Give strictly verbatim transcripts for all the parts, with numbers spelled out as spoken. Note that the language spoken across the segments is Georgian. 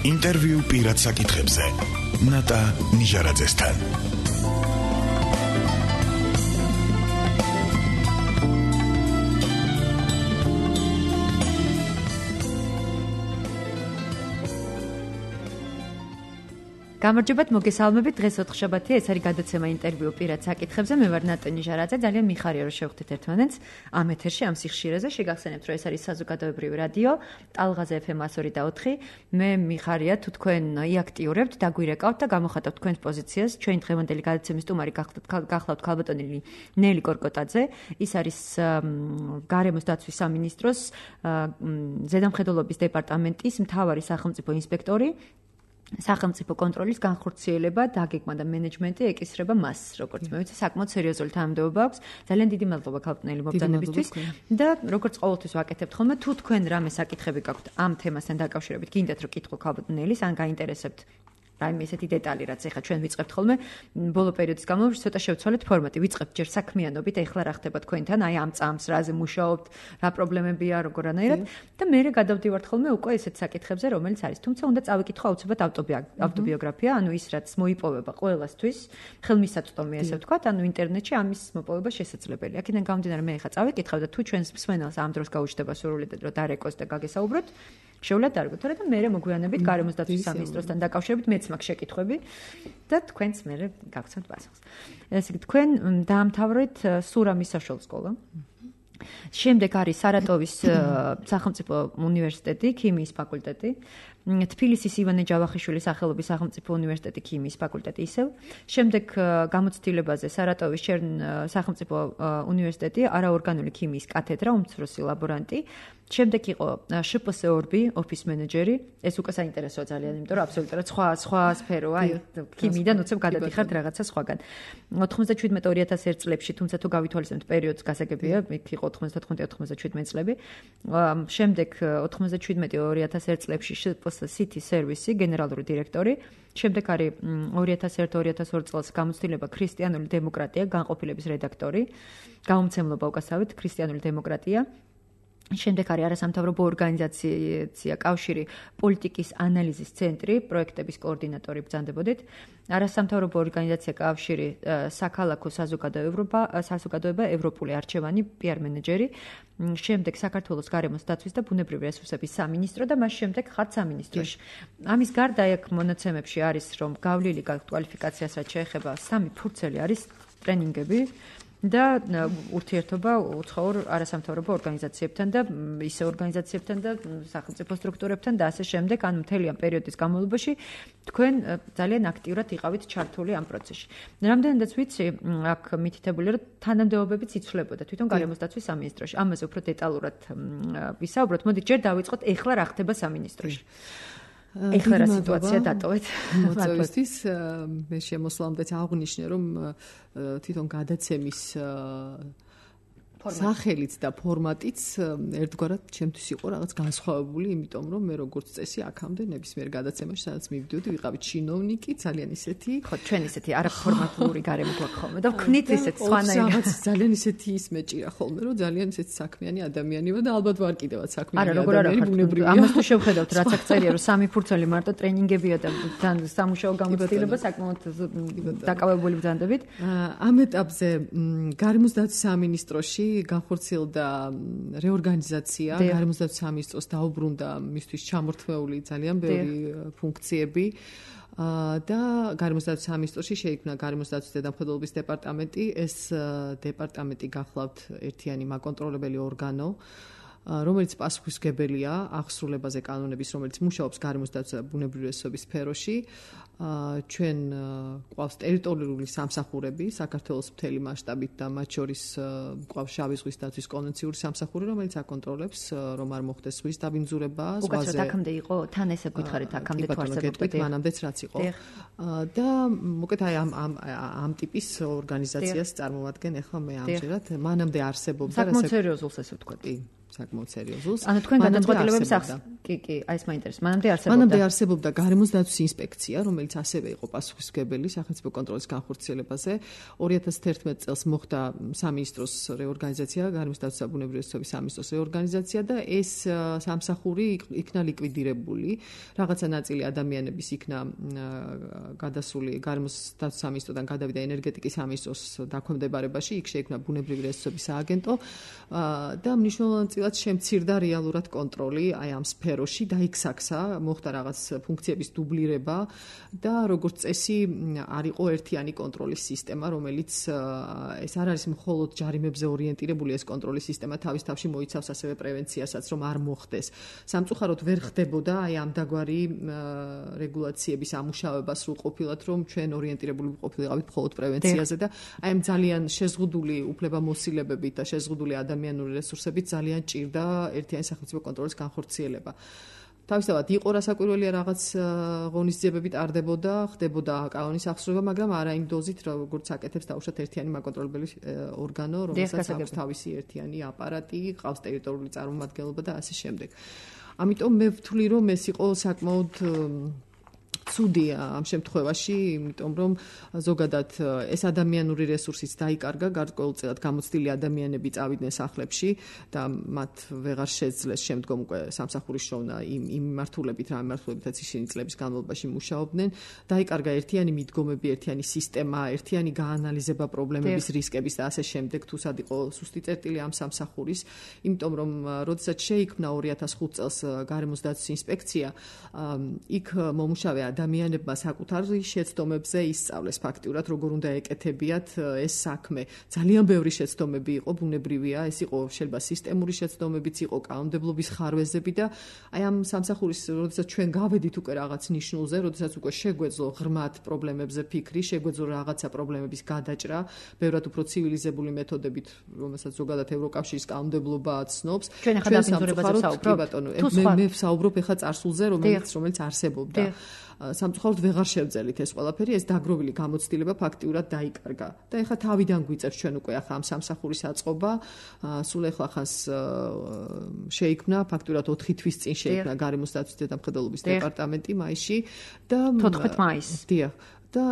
ინტერვიუ პირად საკითხებზე ნატა ნიჟარაძესთან. გამარჯობათ, მოგესალმებით. დღეს ოთხშაბათია, ეს არის გადაცემა ინტერვიუ პირად საკითხებზე. მე ვარ ნატა ნიჟარაძე. ძალიან მიხარია, რომ შევხვდით ერთმანეთს ამ ეთერში, ამ სიხშირეზე. შეგახსენებთ, რომ ეს არის საზოგადოებრივი რადიო, ტალღაზე ეფ ემ εκατო ორი და ოთხი. მე მიხარია, თუ თქვენ იაქტიურებთ, დაგვირეკავთ და გამოხატავთ თქვენს პოზიციას. ჩვენი დღევანდელი გადაცემის სტუმარი გახლავთ ქალბატონი ნელი კორკოტაძე. ის არის გარემოს დაცვის სამინისტროს ზედამხედველობის დეპარტამენტის მთავარი სახელმწიფო ინსპექტორი. სახელმწიფო კონტროლის განხორციელება, დაგეგმა და მენეჯმენტი ეკისრება მას, როგორც მე ვიცი, საკმაოდ სერიოზული თანამდებობა აქვს. ძალიან დიდი მადლობა ქალბატონელი მობრძანებისთვის და როგორც ყოველთვის ვაკეთებთ ხოლმე, თუ თქვენ რამე საკითხები გაქვთ ამ თემასთან დაკავშირებით, გინდათ რომ კითხო ქალბატონელის, ან გაინტერესებთ რაიმე ესეთი დეტალი, რაც ეხლა ჩვენ ვიწყებთ ხოლმე ბოლო პერიოდის განმავლობაში, ცოტა შევცვალეთ ფორმატი. ვიწყებთ ჯერ საქმიანობით, ეხლა რა ხდება თქვენთან, აი ამ წამს რაზე მუშაობთ, რა პრობლემებია, როგორანაირად და მერე გადავდივართ ხოლმე უკვე ესეთ საკითხებზე, რომელიც არის. თუმცა უნდა წავიკითხო აუცილებლად ავტობიოგრაფია, ანუ ის რაც მოიპოვება ყველასთვის, ხელმისაწვდომი ესე ვთქვათ, ანუ ინტერნეტში ამის მოპოვება შესაძლებელია. აქედან გამომდინარე მე ეხლა წავიკითხავ და თუ ჩვენს მსმენელს ამ დროს გაუჩნდება სურვილი რომ დარეკოს და გაგესაუბროთ, შეუძლია დარგოთ, თორემ მერე მოგვიანებით გარემოს დაცვის სამინისტროსთან დაკავშირებით მეც მაქვს შეკითხვები და თქვენც მერე გაგცნობთ პასუხს. ესე იგი, თქვენ დაამთავრეთ სურამის საშუალო სკოლა. შემდეგ არის სარატოვის სახელმწიფო უნივერსიტეტი, ქიმიის ფაკულტეტი, თბილისის ივანე ჯავახიშვილის სახელობის სახელმწიფო უნივერსიტეტი, ქიმიის ფაკულტეტი ისევ. შემდეგ გამოცდილებაზე სარატოვის სახელმწიფო უნივერსიტეტი, არაორგანული ქიმიის კათედრა, უმცროსი ლაბორანტი. შემდეგ იყო შ პ ეს ორბი, ოფის მენეჯერი. ეს უკვე საინტერესოა ძალიან, იმიტომ რომ აბსოლუტურად სხვა სხვა სფეროა, აი ქიმიიდან უცებ გადადიხართ რაღაცა სხვაგან. ოთხმოცდაშვიდმეტ ორი ათას ერთ წლებში, თუმცა თუ გავითვალისწინებთ პერიოდს, გასაგებია, იქ იყო ოთხმოცდათხუთმეტი ოთხმოცდაშვიდმეტ წლები. შემდეგ ოთხმოცდაშვიდმეტი ორი ათას ერთ წლებში შ პ ეს City Service გენერალური დირექტორი. შემდეგ არის ორი ათას ერთ ორი ათას ორი წელს გამოცდილება ქრისტიანული დემოკრატია, განყოფილების რედაქტორი. გამომცემლობა უკასავით ქრისტიანული დემოკრატია. შემდეგ არის არასამთავრობო ორგანიზაცია კავშირი პოლიტიკის ანალიზის ცენტრი, პროექტების კოორდინატორი ბრძანდებოდით. არასამთავრობო ორგანიზაცია კავშირი საქალაქო საზოგადოება, საზოგადოება ევროპული არჩევანი, პი არ მენეჯერი. შემდეგ საქართველოს გარემოს დაცვის და ბუნებრივი რესურსების სამინისტრო და მას შემდეგ ხართ სამინისტროში. ამის გარდა აქ მონაცემებში არის რომ გავლილი კვალიფიკაციას რაც შეეხება სამი ფურცელი არის ტრენინგები. და ურთიერთობა უცხოურ არასამთავრობო ორგანიზაციებთან და ისე ორგანიზაციებთან და სახელმწიფო სტრუქტურებთან და ასე შემდეგ, ან მთელი ამ პერიოდის განმავლობაში თქვენ ძალიან აქტიურად იყავით ჩართული ამ პროცესში. რამდენადაც ვიცი, აქ მითითებული რომ თანამდებობებიც იცვლებოდა თვითონ გარემოს დაცვის სამინისტროში. ამაზე უფრო დეტალურად ვისაუბროთ. მოდით ჯერ დავიწყოთ, ეხლა რა ხდება სამინისტროში. ეხლა რა სიტუაცია დატოვეთ? მოწვევისთვის მე შემოსვლამდე აღვნიშნე, რომ თვითონ გადაცემის სახელიც და ფორმატიც ერთგვარად ჩემთვის იყო რაღაც განსხვავებული, იმიტომ რომ მე როგორც წესი აქამდე ნებისმიერ გადაცემაში, სადაც მივიდიოდი, ვიყავი ჩინოვნიკი, ძალიან ისეთი, ხო, ჩვენ ისეთი არაფორმატული გარემო გვაქვს ხოლმე და ვქნით ისეთ სხვანაირად. ძალიან ისეთი ის მეჭირა ხოლმე, რომ ძალიან ისეთი საქმიანი ადამიანი ვარ და ალბათ ვარ კიდევაც საქმიანი ადამიანი. არა, როგორ არა ბუნებრივია. ამას თუ შევხედავთ, რაც აქ წერია, რომ სამი ფურცელი მარტო ტრენინგებია და სამუშაო გამოცდილება საკმაოდ დაკავებული ბრძანდებით. ამ ეტაპზე გარემოს დაცვის სამინისტროში განხორციელდა რეორგანიზაცია, გარემოს დაცვის სამინისტროს დაუბრუნდა მისთვის ჩამორთმეული ძალიან ბევრი ფუნქციები და გარემოს დაცვის სამინისტროში შეიქმნა გარემოს დაცვის ზედამხედველობის დეპარტამენტი. ეს დეპარტამენტი გახლავთ ერთიანი მაკონტროლებელი ორგანო, რომელიც პასუხისმგებელია აღსრულებაზე კანონების, რომელიც მუშაობს გარემოს დაცვის და ბუნებრივი რესურსების სფეროში. ჩვენ გვყავს ტერიტორიული სამსახურები საქართველოს მთელი მასშტაბით და მათ შორის გვყავს შავი ზღვის დაცვის კონვენციური სამსახური, რომელიც აკონტროლებს რომ არ მოხდეს ზღვის დაბინძურება ზღვაზე. უკაცრავად აქამდე იყო, თან ესე გითხარით აქამდე თუ არსებობდა. მანამდეც რაც იყო. და მოკეთ აი ამ ამ ამ ტიპის ორგანიზაციას წარმოვადგენ ახლა მე ამჯერად. მანამდე არსებობდა საკმაოდ სერიოზულს ესე ვთქვათ. საკმაოდ სერიოზულს. ანუ თქვენ გადაწყვეტილებებს კი, კი, აი ეს მაინტერესებს. მანამდე არსებობდა. მანამდე არსებობდა გარემოს დაცვის ინსპექცია, რომელიც ასევე იყო პასუხისმგებელი სახელმწიფო კონტროლის განხორციელებაზე. ორი ათას თერთმეტ წელს მოხდა სამინისტროს რეორგანიზაცია, გარემოს დაცვის და ბუნებრივი რესურსების სამინისტროს რეორგანიზაცია და ეს სამსახური იქნა ლიკვიდირებული. რაღაცა ნაწილი ადამიანების იქნა გადასული გარემოს დაცვის სამინისტროდან გადავიდა ენერგეტიკის სამინისტროს დაქვემდებარებაში, იქ შეიქმნა ბუნებრივი რესურსების სააგენტო და მნიშვნელოვნად შემცირდა რეალურად კონტროლი აი ამ სფეროში და იქსაქსა, მოხდა რაღაც ფუნქციების დუბლირება და როგორც წესი არ იყო ერთიანი კონტროლის სისტემა, რომელიც ეს არ არის მხოლოდ ჯარიმებზე ორიენტირებული ეს კონტროლის სისტემა, თავის თავში მოიცავს ასევე პრევენციასაც, რომ არ მოხდეს. სამწუხაროდ ვერ ხდებოდა აი ამ დაგვარი რეგულაციების ამუშავება სრულყოფილად, რომ ჩვენ ორიენტირებული ვიყავით მხოლოდ პრევენციაზე და აი ამ ძალიან შეზღუდული უფლებამოსილებებით და შეზღუდული ადამიანური რესურსებით ძალიან ჭირდა ერთიანი სახელმწიფო კონტროლის განხორციელება. თავისთავად იყო რასაკვირველია რაღაც ღონისძიებები ტარდებოდა, ხდებოდა კანონის აღსრულება, მაგრამ არა იმ დოზით, როგორც აკეთებს დაუშვათ ერთიანი მაკონტროლებელი ორგანო, რომელსაც აქვს თავისი ერთიანი აპარატი, ყავს ტერიტორიული წარმომადგენლობა და ასე შემდეგ. ამიტომ მე ვთვლი, რომ ეს იყო საკმაოდ ცუდია ამ შემთხვევაში, იმიტომ რომ ზოგადად ეს ადამიანური რესურსიც დაიკარგა, გარკვეულწილად გამოცდილი ადამიანები წავიდნენ სახლებში და მათ ვეღარ შეძლეს შემდგომ უკვე სამსახურის შოვნა იმ იმ მიმართულებით, რა მიმართულებითაც ისინი წლების განმავლობაში მუშაობდნენ. დაიკარგა ერთიანი მიდგომები, ერთიანი სისტემა, ერთიანი გაანალიზება პრობლემების, რისკების და ასე შემდეგ, თუ სად იყო სუსტი წერტილი ამ სამსახურის, იმიტომ რომ როდესაც შეიქმნა ორი ათას ხუთ წელს გარემოს დაცვის ინსპექცია, იქ მომუშავე ადამიანებმა საკუთარი შეცდომებზე ისწავლეს ფაქტიურად, როგორ უნდა ეკეთებიათ ეს საქმე. ძალიან ბევრი შეცდომები იყო, ბუნებრივია, ეს იყო შეიძლება სისტემური შეცდომებიც იყო, კანონმდებლობის ხარვეზები და აი ამ სამსახურის, როდესაც ჩვენ გავედით უკვე რაღაც ნიშნულზე, როდესაც უკვე შეგვეძლო ღრმად პრობლემებზე ფიქრი, შეგვეძლო რაღაცა პრობლემების გადაჭრა, ბევრად უფრო ცივილიზებული მეთოდებით, რომელსაც ზოგადად ევროკავშირის კანონმდებლობა ცნობს. ჩვენ ახლა დაბინძურებაზე ვსაუბრობთ. მე მე ვსაუბრობ ახლა წარსულზე, რომელიც რომელიც არსებობდა. სამწუხაროდ ვეღარ შევძელით ეს ყველაფერი, ეს დაგროვილი გამოცდილება ფაქტიურად დაიკარგა. და ეხლა თავიდან გვიწევს ჩვენ უკვე ახლა ამ სამსახურის აწყობა, სულ ეხლა ხანს შეიქმნა ფაქტიურად ოთხი თვის წინ შეიქმნა გარემოს დაცვის დედამხედველობის დეპარტამენტი მაისში და თოთხმეტ მაისს. დიახ. და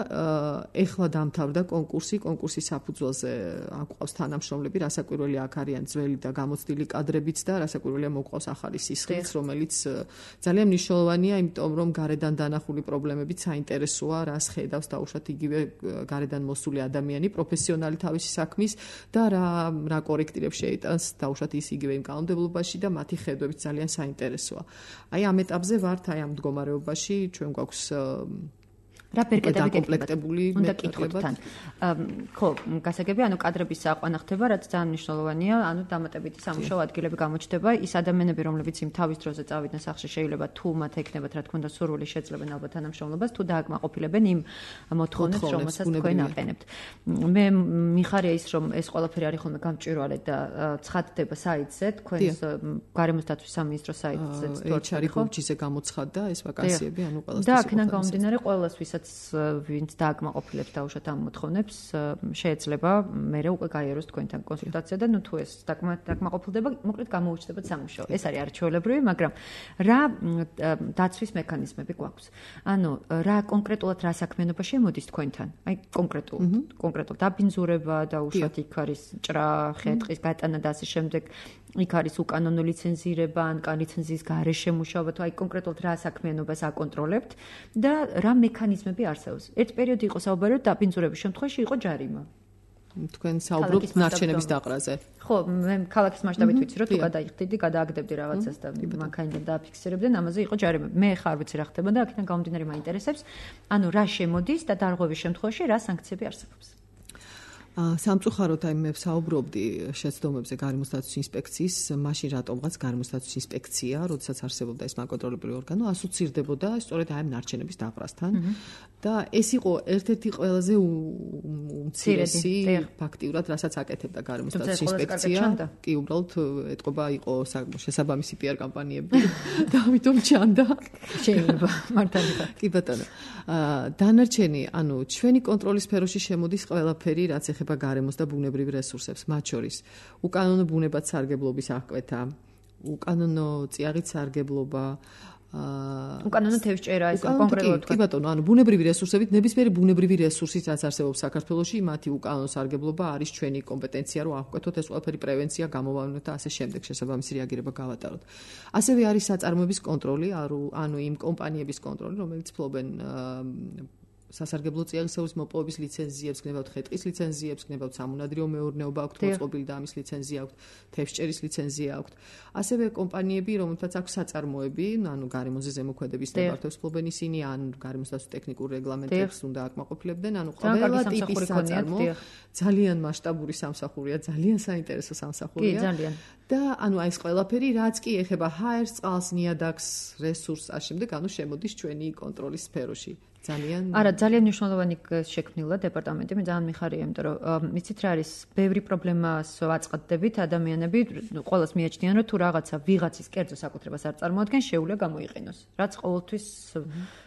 ეხლა დამთავრდა კონკურსი, კონკურსის საფუძველზე აკვავს თანამშრომლები, რასაკვირველია აქ არიან ძველი და გამოცდილი კადრებიც და რასაკვირველია მოყვავს ახალი სისხლიც, რომელიც ძალიან მნიშვნელოვანია, იმიტომ რომ გარედან დანახული პრობლემებით საინტერესოა, რას ხედავს დაუშვათ იგივე გარედან მოსული ადამიანი, პროფესიონალი თავისი საქმის და რა რა კორექტირებს შეიტანს დაუშვათ ის იგივე იმ კანონმდებლობაში და მათი ხედვებით ძალიან საინტერესოა. აი ამ ეტაპზე ვართ, აი ამ მდგომარეობაში, ჩვენ გვაქვს რა პერკეტები კომპლექტებული უნდა კითხოთ თან. ხო, გასაგები, ანუ კადრების აყვანა ხდება, რაც ძალიან მნიშვნელოვანია, ანუ დამატებითი სამუშაო ადგილები გამოჩნდება. ის ადამიანები, რომლებიც იმ თავის დროზე წავიდნენ სახლში, შეიძლება თუ მათ ექნებათ, რა თქმა უნდა, სურვილი შეძლებენ ალბათ თანამშრომლობას, თუ დააკმაყოფილებენ იმ მოთხოვნებს, რომელსაც თქვენ აყენებთ. მე მიხარია ის, რომ ეს ყველაფერი არის ხოლმე გამჭვირვალე და ცხადდება საიტზე, თქვენს გარემოს დაცვის სამინისტროს საიტზე. ეიჩ არ ბურჯიზე გამოცხადდა ეს ვაკანსიები, ანუ ყველას. და აქედან გამომდინარე, ყველას ვისაც ვინც დააკმაყოფილებს დაუშვათ ამ მოთხოვნებს, შეიძლება მერე უკვე გაიაროს თქვენთან კონსულტაცია და ნუ თუ ეს დააკმაყოფილდება, მოკლედ გამოუჩნდებათ სამუშაო. ეს არის არჩეულებრივი, მაგრამ რა დაცვის მექანიზმები გვაქვს? ანუ რა კონკრეტულად რა საქმიანობა შემოდის თქვენთან? აი კონკრეტულად, კონკრეტულად დაბინძურება დაუშვათ იქ არის ჭრა, ხე-ტყის გატანა და ასე შემდეგ. იქ არის უკანონო ლიცენზირება, ან კან ლიცენზიის გარეშე მუშაობა, თუ აი კონკრეტულად რა საქმიანობას აკონტროლებთ და რა მექანიზმები არსებობს. ერთ პერიოდი იყო საუბარი, რომ დაბინძურების შემთხვევაში იყო ჯარიმა. თქვენ საუბრობთ ნარჩენების დაყრაზე. ხო, მე ქალაქის მასშტაბით ვიცი, რომ თუ გადაიხდიდი, გადააგდებდი რაღაცას და მანქანიდან დააფიქსირებდნენ, ამაზე იყო ჯარიმა. მე ხარ ვიცი რა ხდება და აქედან გამომდინარე მაინტერესებს, ანუ რა შემოდის და დარღვევის შემთხვევაში რა სანქციები არსებობს. სამწუხაროდ აი მე ვსაუბრობდი შეცდომებზე გარემოს დაცვის ინსპექციის, მაშინ რატომღაც გარემოს დაცვის ინსპექცია, როდესაც არსებობდა ეს მაკონტროლებელი ორგანო, ასოცირდებოდა სწორედ აი ამ ნარჩენების დაყრასთან და ეს იყო ერთ-ერთი ყველაზე უმცირესი ფაქტიურად, რასაც აკეთებდა გარემოს დაცვის ინსპექცია. კი, უბრალოდ ეტყობა იყო შესაბამისი პი არ კამპანიები და ამიტომ ჩანდა. შეიძლება, მართალია. კი ბატონო. დანარჩენი, ანუ ჩვენი კონტროლის სფეროში შემოდის ყველაფერი, რაც ეხება გარემოს და ბუნებრივ რესურსებს, მათ შორის უკანონო ბუნებად სარგებლობის აღკვეთა, უკანონო წიაღით სარგებლობა უკანონო თევზჭერა ეს კონკრეტულად კი ბატონო, ანუ ბუნებრივი რესურსებით, ნებისმიერი ბუნებრივი რესურსით რაც არსებობს საქართველოში, მათი უკანონო სარგებლობა არის ჩვენი კომპეტენცია, რომ ავკვეთოთ ეს ყველაფერი პრევენცია, გამოვავნოთ და ასე შემდეგ შესაბამისი რეაგირება გავატაროთ. ასევე არის საწარმოების კონტროლი, ანუ იმ კომპანიების კონტროლი, რომელიც ფლობენ სასარგებლო წიაღისეულის მოპოვების ლიცენზიებს, გნებავთ ხე-ტყის ლიცენზიებს, გნებავთ სამონადირეო მეურნეობა აქვთ, მოწყობილი და ამის ლიცენზია აქვთ, თევზჭერის ლიცენზია აქვთ. ასევე კომპანიები, რომელთაც აქვს საწარმოები, ანუ გარემოზე ზემოქმედების ნებართვებს ფლობენ ისინი, ან გარემოსდაცვის ტექნიკურ რეგლამენტებს უნდა აკმაყოფილებდნენ, ანუ ყველა ტიპის საწარმო ძალიან მასშტაბური სამსახურია, ძალიან საინტერესო სამსახურია. კი, ძალიან. და ანუ აი ეს ყველაფერი, რაც კი ეხება ჰაერს, წყალს, ნიადაგს, რესურსს, ამ შემდეგ, ანუ შემოდის ჩვენი კონტროლის სფეროში. ძალიან არა, ძალიან მნიშვნელოვანი შექმნილა დეპარტამენტი, მე ძალიან მიხარია, იმიტომ რომ იცით რა არის, ბევრი პრობლემას ვაწყდებით, ადამიანები ყოველს მიაჩნიან, რომ თუ რაღაცა ვიღაცის კერძო საკუთრებას არ წარმოადგენს, შეუძლია გამოიყენოს. რაც ყოველთვის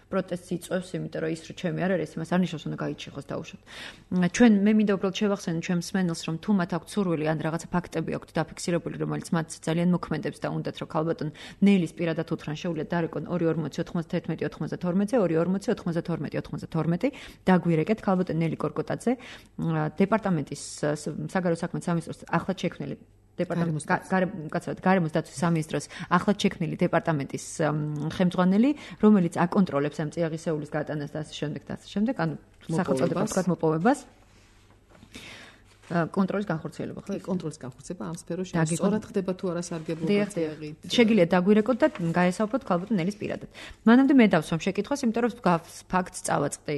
პროტესტს იწვევს, იმიტომ რომ ის რო ჩემი არ არის, იმას არ ნიშნავს, უნდა გაიჩეხოს დაუშვათ. ჩვენ მე მინდა უბრალოდ შევახსენო ჩვენს მსმენელს, რომ თუ მათ აქვს სურვილი ან რაღაცა ფაქტები აქვთ დაფიქსირებული, რომელიც მათ ძალიან მოქმედებს და უნდათ რომ ქალბატონ ნელის პირადად უთხრან, შეუძლიათ დარეკონ ორი ორმოცი ოთხმოცდაერთმეტი ოთხმოცდათორმეტზე, ორი ორმოცი ოთხმოცდათორმეტი ოთხმოცდათორმეტი, დაგვირეკეთ ქალბატონ ნელი კორკოტაძე, დეპარტამენტის საგარეო საქმეთა სამინისტროს ახლად შექმნილი დეპარტამენტის კაცად გარემოს დაცვის სამინისტროს ახლად შექმნილი დეპარტამენტის ხელმძღვანელი, რომელიც აკონტროლებს ამ წიაღისეულის გატანას და ასე შემდეგ და ასე შემდეგ, ანუ სახელწოდებას ვთქვათ მოპოვებას. კონტროლის განხორციელება, ხო? კონტროლის განხორციელება ამ სფეროში სწორად ხდება თუ არა სარგებლობა წიაღით. შეგიძლიათ დაგვირეკოთ და გაესაუბროთ ქალბატონ ნელის პირადად. მანამდე მე დავსვამ შეკითხვას, იმიტომ რომ ფაქტს წავაწყდი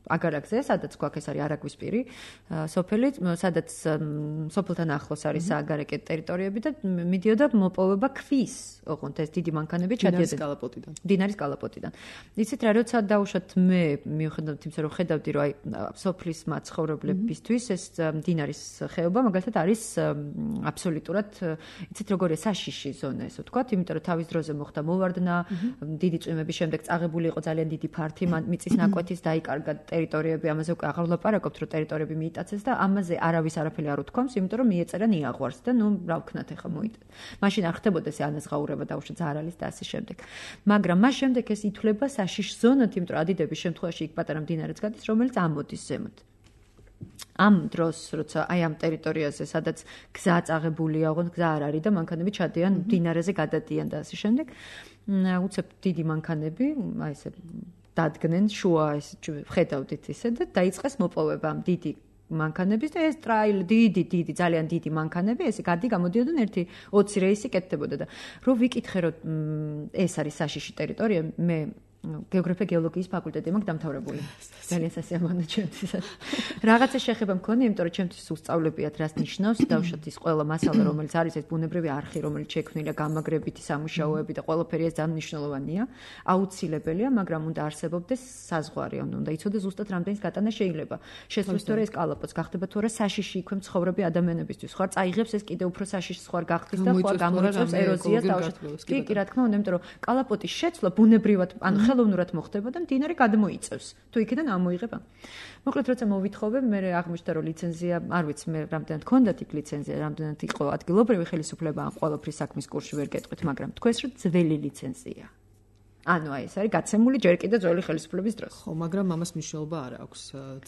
აგარაკზე, სადაც გვაქვს ეს არის არაგვის პირი, სოფელი, სადაც სოფელთან ახლოს არის სააგარაკე ტერიტორიები და მიდიოდა მოპოვება ქვის, ოღონდ ეს დიდი მანქანები ჩადიოდნენ დინარის კალაპოტიდან. დინარის კალაპოტიდან. იცით რა, როცა დავუშვათ მე მიუხედავად იმისა, რომ ხედავდი, რომ აი სოფლის მაცხოვრებლების ეს დინარის ხეობა მაგალითად არის აბსოლუტურად იცით როგორია საშიში ზონა ესე ვთქვათ, იმიტომ რომ თავის დროზე მოხდა მოვარდნა, დიდი წვიმების შემდეგ წაღებული იყო ძალიან დიდი ფართი, მიწის ნაკვეთის დაიკარგა ტერიტორიები, ამაზე უკვე აღარ ვლაპარაკობთ, რომ ტერიტორიები მიიტაცეს და ამაზე არავის არაფერი არ უთქვამს, იმიტომ რომ მიეწერა ნიაღვარს და ნუ რა ვქნათ ახლა მოიტან. მაშინ არ ხდებოდა ეს ანაზღაურება დაუშვათ ზარალის და ასე შემდეგ. მაგრამ მას შემდეგ ეს ითვლება საშიშ ზონად, იმიტომ რომ ადიდების შემთხვევაში იქ პატარა მდინარეც გადის, რომელიც ამოდის ზემოთ. ამ დროს, როცა აი ამ ტერიტორიაზე, სადაც გზა წაღებულია, ოღონდ გზა არ არის და მანქანები ჩადიან მდინარეზე გადადიან და ასე შემდეგ, უცებ დიდი მანქანები, აი ესე დადგნენ შუა ეს ხედავდით ისე და დაიწყეს მოპოვება ამ დიდი მანქანების და ეს ტრაილ დიდი დიდი ძალიან დიდი მანქანები ესე გადი გამოდიოდნენ ერთი ოცი რეისი კეთდებოდა და რო ვიკითხე რომ ეს არის საშიში ტერიტორია, მე გეოგრაფია გეოლოგიის ფაკულტეტი მაქვს დამთავრებული. ძალიან სასიამოვნო ჩემთვის. რაღაცა შეხება მქონი, იმიტომ რომ ჩემთვის უსწავლებიათ რას ნიშნავს დავუშვათ ის ყველა მასალა, რომელიც არის ეს ბუნებრივი არხი, რომელიც შექმნილია გამაგრებითი სამუშაოები და ყველაფერი ეს ძალიან მნიშვნელოვანია, აუცილებელია, მაგრამ უნდა არსებობდეს საზღვარი, ანუ უნდა იცოდეს ზუსტად რამდენის გატანა შეიძლება. შესაძლოა თუ ეს კალაპოტს გახდება თუ არა საშიში იქვე მცხოვრები ადამიანებისთვის. ხო, წაიღებს ეს კიდევ უფრო საშიშს ხوار გახდის და ხო გამოიწვევს ეროზიას დავუშვათ. კი, კი, რა თქმა უნდა, იმიტომ რომ კალაპოტის შეცვლა ბუნებრივად ანუ ხელოვნურად მოხდება და მდინარე გადმოიწევს. თუ იქიდან ამოიღება. მოკლედ როცა მოვითხოვე, მე აღმოჩნდა რომ ლიცენზია, არ ვიცი მე რამდენად ჰქონდათ იქ ლიცენზია, რამდენად იყო ადგილობრივი ხელისუფლება ამ ყველაფრის საქმის კურსში ვერ გეტყვით, მაგრამ თქვენს რომ ძველი ლიცენზია. ანუ აი ეს არის გაცემული ჯერ კიდევ ძველი ხელისუფლების დროს. ხო, მაგრამ ამას მნიშვნელობა არ აქვს.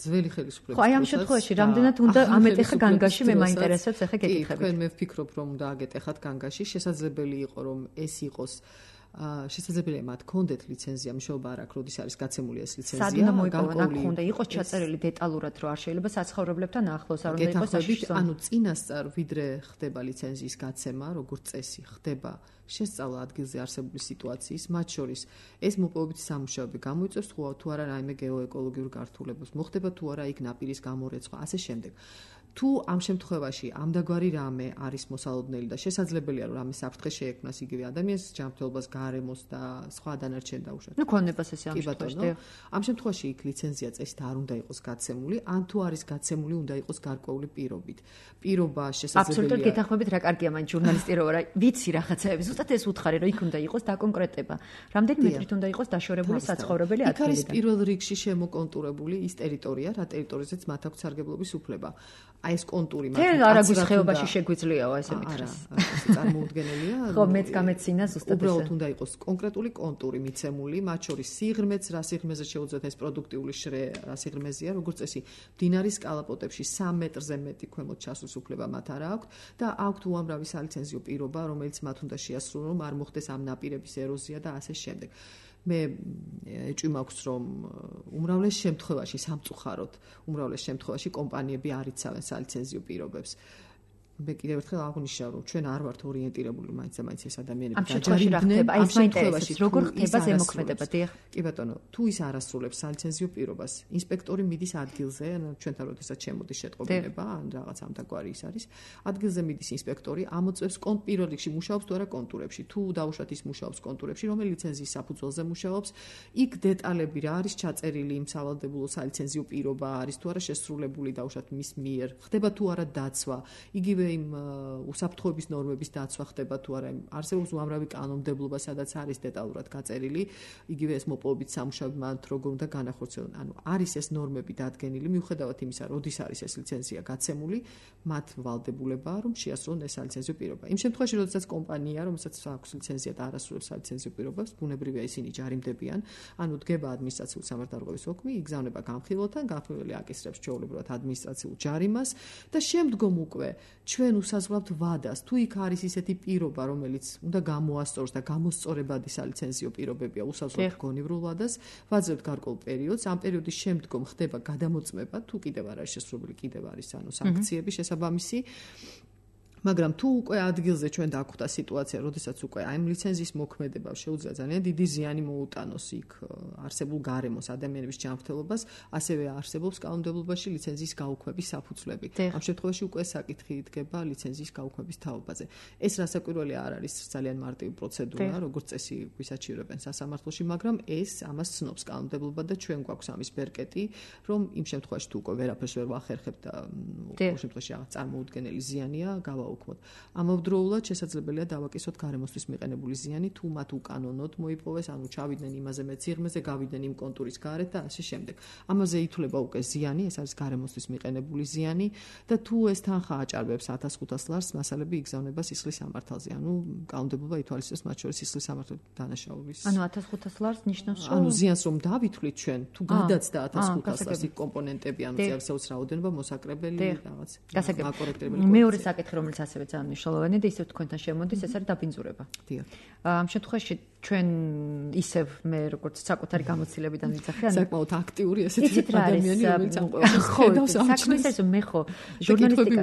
ძველი ხელისუფლების. ხო, აი ამ შემთხვევაში რამდენად უნდა ამეტეხა განგაში მე მაინტერესებს ახლა გეკითხებით. თქვენ მე ვფიქრობ რომ უნდა აგეტეხათ განგაში, შესაძლებელი იყო რომ ეს იყოს შესაძლებელია მათ კონდეთ ლიცენზია, მშობა არ აქვს, როდის არის გაცემული ეს ლიცენზია. სად უნდა მოიპოვონ, აქ უნდა იყოს ჩაწერილი დეტალურად, რომ არ შეიძლება საცხოვრებლებთან ახლოს, არ უნდა იყოს საშიშო. ანუ წინასწარ ვიდრე ხდება ლიცენზიის გაცემა, როგორც წესი ხდება შესწავლა ადგილზე არსებული სიტუაციის, მათ შორის ეს მოპოვებითი სამუშაოები გამოიწვევს თუ არა რაიმე გეოეკოლოგიურ გართულებას, მოხდება თუ არა იქ ნაპირის გამორეცხვა, ასე შემდეგ. თუ ამ შემთხვევაში ამდაგვარი რამე არის მოსალოდნელი და შესაძლებელია რომ რამე საფრთხე შეექმნას იგივე ადამიანის ჯანმრთელობას, გარემოს და სხვა დანარჩენ დაუშვათ. ნუ ქონებას ესე ამ შემთხვევაში. ამ შემთხვევაში იქ ლიცენზია წესით არ უნდა იყოს გაცემული, ან თუ არის გაცემული, უნდა იყოს გარკვეული პირობით. პირობა შესაძლებელია. აბსოლუტურად გეთანხმებით, რა კარგია მაინც ჟურნალისტი რო რა ვიცი რაღაცაებს ზუსტად ეს უთხარი, რომ იქ უნდა იყოს დაკონკრეტება. რამდენი მეტრით უნდა იყოს დაშორებული საცხოვრებელი ადგილი? იქ არის პირველ რიგში შემოკონტურებული ის ტერიტორია, რა ტერიტორიაზეც მათ აქვს სარგებლობის უფლება. აი ეს კონტური მათ თელ არაგვის ხეობაში შეგვიძლიაო ესე მითხრას. წარმოუდგენელია. ხო, მეც გამეცინა ზუსტად ესე. უბრალოდ უნდა იყოს კონკრეტული კონტური მიცემული, მათ შორის სიღრმეც, რა სიღრმეზე შეუძლიათ ეს პროდუქტიული შრე, რა სიღრმეზეა, როგორც წესი, მდინარის კალაპოტებში სამ მეტრზე მეტი ქვემოთ ჩასვლის უფლება მათ არ აქვს და აქვთ უამრავი სალიცენზიო პირობა, რომელიც მათ უნდა შეასრულონ, რომ არ მოხდეს ამ ნაპირების ეროზია და ასე შემდეგ. მე ეჭვი მაქვს, რომ უმრავლეს შემთხვევაში სამწუხაროდ, უმრავლეს შემთხვევაში კომპანიები არ იცავენ სალიცენზიო პირობებს. მე კიდევ ერთხელ აღნიშნავ, რომ ჩვენ არ ვართ ორიენტირებული მაინც და მაინც ეს ადამიანები დაჯერებდნენ. ამ შემთხვევაში როგორ ხდება ზემოქმედება, დიახ? კი ბატონო, თუ ის არ ასრულებს სალიცენზიო პირობას, ინსპექტორი მიდის ადგილზე, ანუ ჩვენთან როდესაც შემოდის შეტყობინება, ან რაღაც ამდაგვარი ის არის, ადგილზე მიდის ინსპექტორი, ამოწევს პირველ რიგში მუშაობს თუ არა კონტურებში, თუ დაუშვათ ის მუშაობს კონტურებში, რომელი ლიცენზიის საფუძველზე მუშაობს, იქ დეტალები რა არის ჩაწერილი იმ სავალდებულო სალიცენზიო პირობა არის თუ არა შესრულებული დაუშვათ მის მიერ, ხდება თუ არა დაცვა, იგივე იმ უსაფრთხოების ნორმების დაცვა ხდება თუ არა, არსებობს უამრავი კანონმდებლობა, სადაც არის დეტალურად გაწერილი, იგივე ეს მოპოვებით სამუშაოები მათ როგორ უნდა განახორციელონ. ანუ არის ეს ნორმები დადგენილი, მიუხედავად იმისა, როდის არის ეს ლიცენზია გაცემული, მათ ვალდებულებაა, რომ შეასრულონ ეს სალიცენზიო პირობა. იმ შემთხვევაში, როდესაც კომპანია, რომელსაც აქვს ლიცენზია და არ ასრულებს სალიცენზიო პირობას, ბუნებრივია ისინი ჯარიმდებიან, ანუ დგება ადმინისტრაციული სამართალდაღობის ოკმი, იგზავნება განხილვათან, განხილველი აკისრებს ჩვეულებრივად ადმინისტრაციულ ჯარიმას და შემდგომ უკვე ჩვენ უსაზღვრავთ ვადას, თუ იქ არის ისეთი პირობა, რომელიც უნდა გამოასწოროს და გამოსწორებადი სალიცენზიო პირობებია, უსაზღვრავთ გონივრულ ვადას, ვაძლევთ გარკვეულ პერიოდს, ამ პერიოდის შემდგომ ხდება გადამოწმება, თუ კიდევ არ არის შესრულებული, კიდევ არის ანუ სანქციები შესაბამისი. მაგრამ თუ უკვე ადგილზე ჩვენ დაგვხვდა სიტუაცია, როდესაც უკვე აი ამ ლიცენზიის მოქმედება შეუძლია ძალიან დიდი ზიანი მოუტანოს იქ არსებულ გარემოს ადამიანების ჯანმრთელობას, ასევე არსებობს კანონმდებლობაში ლიცენზიის გაუქმების საფუძვლები. ამ შემთხვევაში უკვე საკითხი იდგება ლიცენზიის გაუქმების თაობაზე. ეს რასაკვირველი არ არის ძალიან მარტივი პროცედურა, როგორც წესი გვისაჩივრებენ სასამართლოში, მაგრამ ეს ამას ცნობს კანონმდებლობა და ჩვენ გვაქვს ამის ბერკეტი, რომ იმ შემთხვევაში თუ უკვე ვერაფერს ვერ ვახერხებთ და ამ შემთხვევაში რაღაც წარმოუდგენელი ზიანია, გავა უკმოთ. ამავდროულად შესაძლებელია დავაკისოთ გარემოსთვის მიყენებული ზიანი, თუ მათ უკანონოდ მოიპოვეს, ანუ ჩავიდნენ იმაზე მეც სიღრმეზე, გავიდნენ იმ კონტურის გარეთ და ასე შემდეგ. ამაზე ითვლება უკვე ზიანი, ეს არის გარემოსთვის მიყენებული ზიანი და თუ ეს თანხა აჭარბებს ათას ხუთას ლარს, მასალები იგზავნება სისხლის სამართალზე. ანუ კანონმდებლობა ითვალისწინებს მათ შორის სისხლის სამართლის დანაშაულის. ანუ ათას ხუთას ლარს ნიშნავს, რომ ანუ ზიანს რომ დავითვლით ჩვენ, თუ გადაცდა ათას ხუთას ლარს იქ კომპონენტები, ანუ წიაღისეულს რაოდენობა, მოსაკრებელი რაღაც. გასაგებია. მეორე საკითხი, რომელიც ასევე ძალიან მნიშვნელოვანია და ისევ თქვენთან შემოდის, ეს არის დაბინძურება. დიახ. ამ შემთხვევაში ჩვენ ისევ მე როგორც საკუთარი გამოცდილებიდან ვიძახი, ანუ საკმაოდ აქტიური ესეთი ადამიანი, რომელიც ამ ყველაფერს ხედავს ამ საქმეს, ეს მე ხო ჟურნალისტიკა.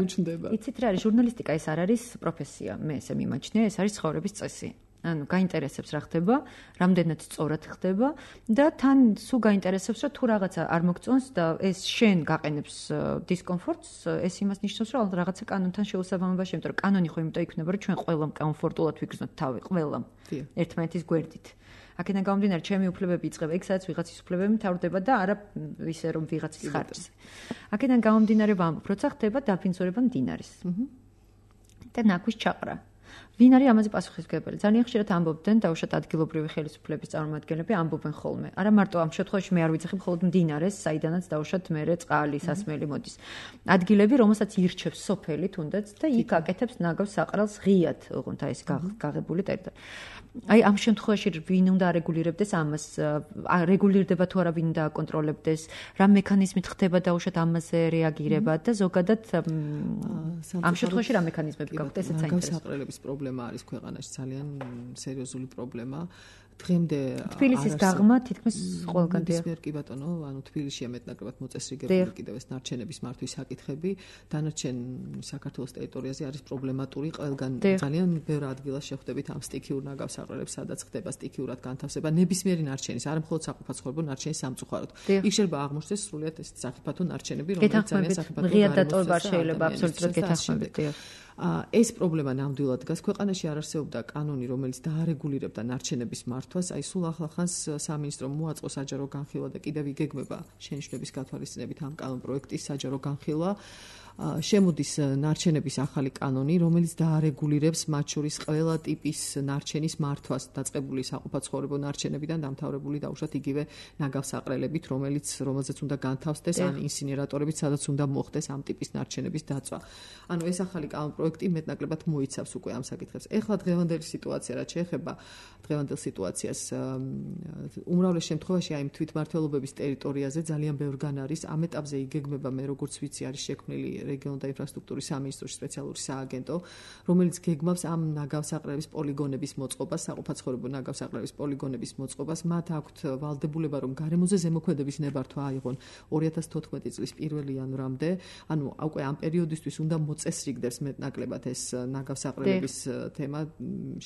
იცით რა არის ჟურნალისტიკა, ეს არ არის პროფესია, მე ესე მიმაჩნია, ეს არის ცხოვრების წესი. ანუ გაინტერესებს რა ხდება, რამდენად სწორად ხდება და თან სულ გაინტერესებს რომ თუ რაღაცა არ მოგწონს და ეს შენ გაყენებს დისკომფორტს, ეს იმას ნიშნავს რომ რაღაცა კანონთან შეუსაბამებაში, იმიტომ რომ კანონი ხო იმიტომ იქნება რომ ჩვენ ყველამ კომფორტულად ვიგრძნოთ თავი, ყველამ ერთმანეთის გვერდით. აქედან გამომდინარე, ჩემი უფლებები იწყება იქ, სადაც ვიღაცის უფლებები მთავრდება და არა ისე რომ ვიღაცის ხარჯზე. აქედან გამომდინარე ვამბობ, როცა ხდება დაბინძურება მდინარის. და ნაკვის ჩაყრა. ვინ არის ამაზე პასუხისმგებელი? ძალიან ხშირად ამბობდნენ დაუშვათ ადგილობრივი ხელისუფლების წარმომადგენლები ამბობენ ხოლმე. არა მარტო ამ შემთხვევაში მე არ ვიცახი მხოლოდ მდინარეს, საიდანაც დაუშვათ მერე წყალი, სასმელი მოდის. ადგილები, რომელსაც ირჩევს სოფელი თუნდაც და იქ აკეთებს ნაგავს საყრელს ღიად, ოღონდ აი ეს გაღებული ტერიტორია. აი ამ შემთხვევაში ვინ უნდა არეგულირებდეს ამას? რეგულირდება თუ არა ვინ უნდა აკონტროლებდეს? რა მექანიზმით ხდება დაუშვათ ამაზე რეაგირება და ზოგადად ამ შემთხვევაში რა მექანიზმები გაქვთ? ესეც საინტერესოა. პრობლემა არის ქვეყანაში ძალიან სერიოზული პრობლემა. დღემდე თბილისის გაღმა თითქმის ყველგან დიახ. კი ბატონო, ანუ თბილისშია მეტნაკლებად მოწესრიგებული კიდევ ეს ნარჩენების მართვის საკითხები. დანარჩენ საქართველოს ტერიტორიაზე არის პრობლემატური, ყველგან ძალიან ბევრ ადგილას შეხვდებით ამ სტიქიურ ნაგავს საყრელებს, სადაც ხდება სტიქიურად განთავსება ნებისმიერი ნარჩენის, არა მხოლოდ საფათო ნარჩენის სამწუხაროდ. იქ შეიძლება აღმოჩნდეს სრულიად ეს საფათო ნარჩენები, რომელიც ძალიან საფათო ღია დატოვება შეიძლება აბსოლუტურად გეთანხმებით. ეს პრობლემა ნამდვილად დგას. ქვეყანაში არ არსებობდა კანონი, რომელიც დაარეგულირებდა ნარჩენების მართვას. აი სულ ახლახანს სამინისტრომ მოაწყო საჯარო განხილვა და კიდევ იგეგმება შენიშვნების გათვალისწინებით ამ კანონპროექტის საჯარო განხილვა. შემოდის ნარჩენების ახალი კანონი, რომელიც დაარეგულირებს მათ შორის ყველა ტიპის ნარჩენის მართვას, დაწყებული საყოფაცხოვრებო ნარჩენებიდან დამთავრებული დაუშვათ იგივე ნაგავსაყრელებით, რომელიც რომელზეც უნდა განთავსდეს ან ინსინერატორებით, სადაც უნდა მოხდეს ამ ტიპის ნარჩენების დაწვა. ანუ ეს ახალი კანონპროექტი მეტნაკლებად მოიცავს უკვე ამ საკითხებს. ეხლა დღევანდელი სიტუაცია, რაც შეეხება დღევანდელ სიტუაციას, უმრავლეს შემთხვევაში აი თვითმმართველობების ტერიტორიაზე ძალიან ბევრგან არის. ამ ეტაპზე იგეგმება, მე როგორც ვიცი, არის შექმნილი რეგიონულ და ინფრასტრუქტურის სამინისტროში სპეციალური სააგენტო, რომელიც გეგმავს ამ ნაგავსაყრელების პოლიგონების მოწყობას, საყოფაცხოვრებო ნაგავსაყრელების პოლიგონების მოწყობას. მათ აქვთ ვალდებულება, რომ გარემოზე ზემოქმედების ნებართვა აიღონ ორი ათას თოთხმეტი წლის პირველი იანვრამდე. ანუ უკვე ამ პერიოდისთვის უნდა მოწესრიგდეს მეტნაკლებად ეს ნაგავსაყრელების თემა.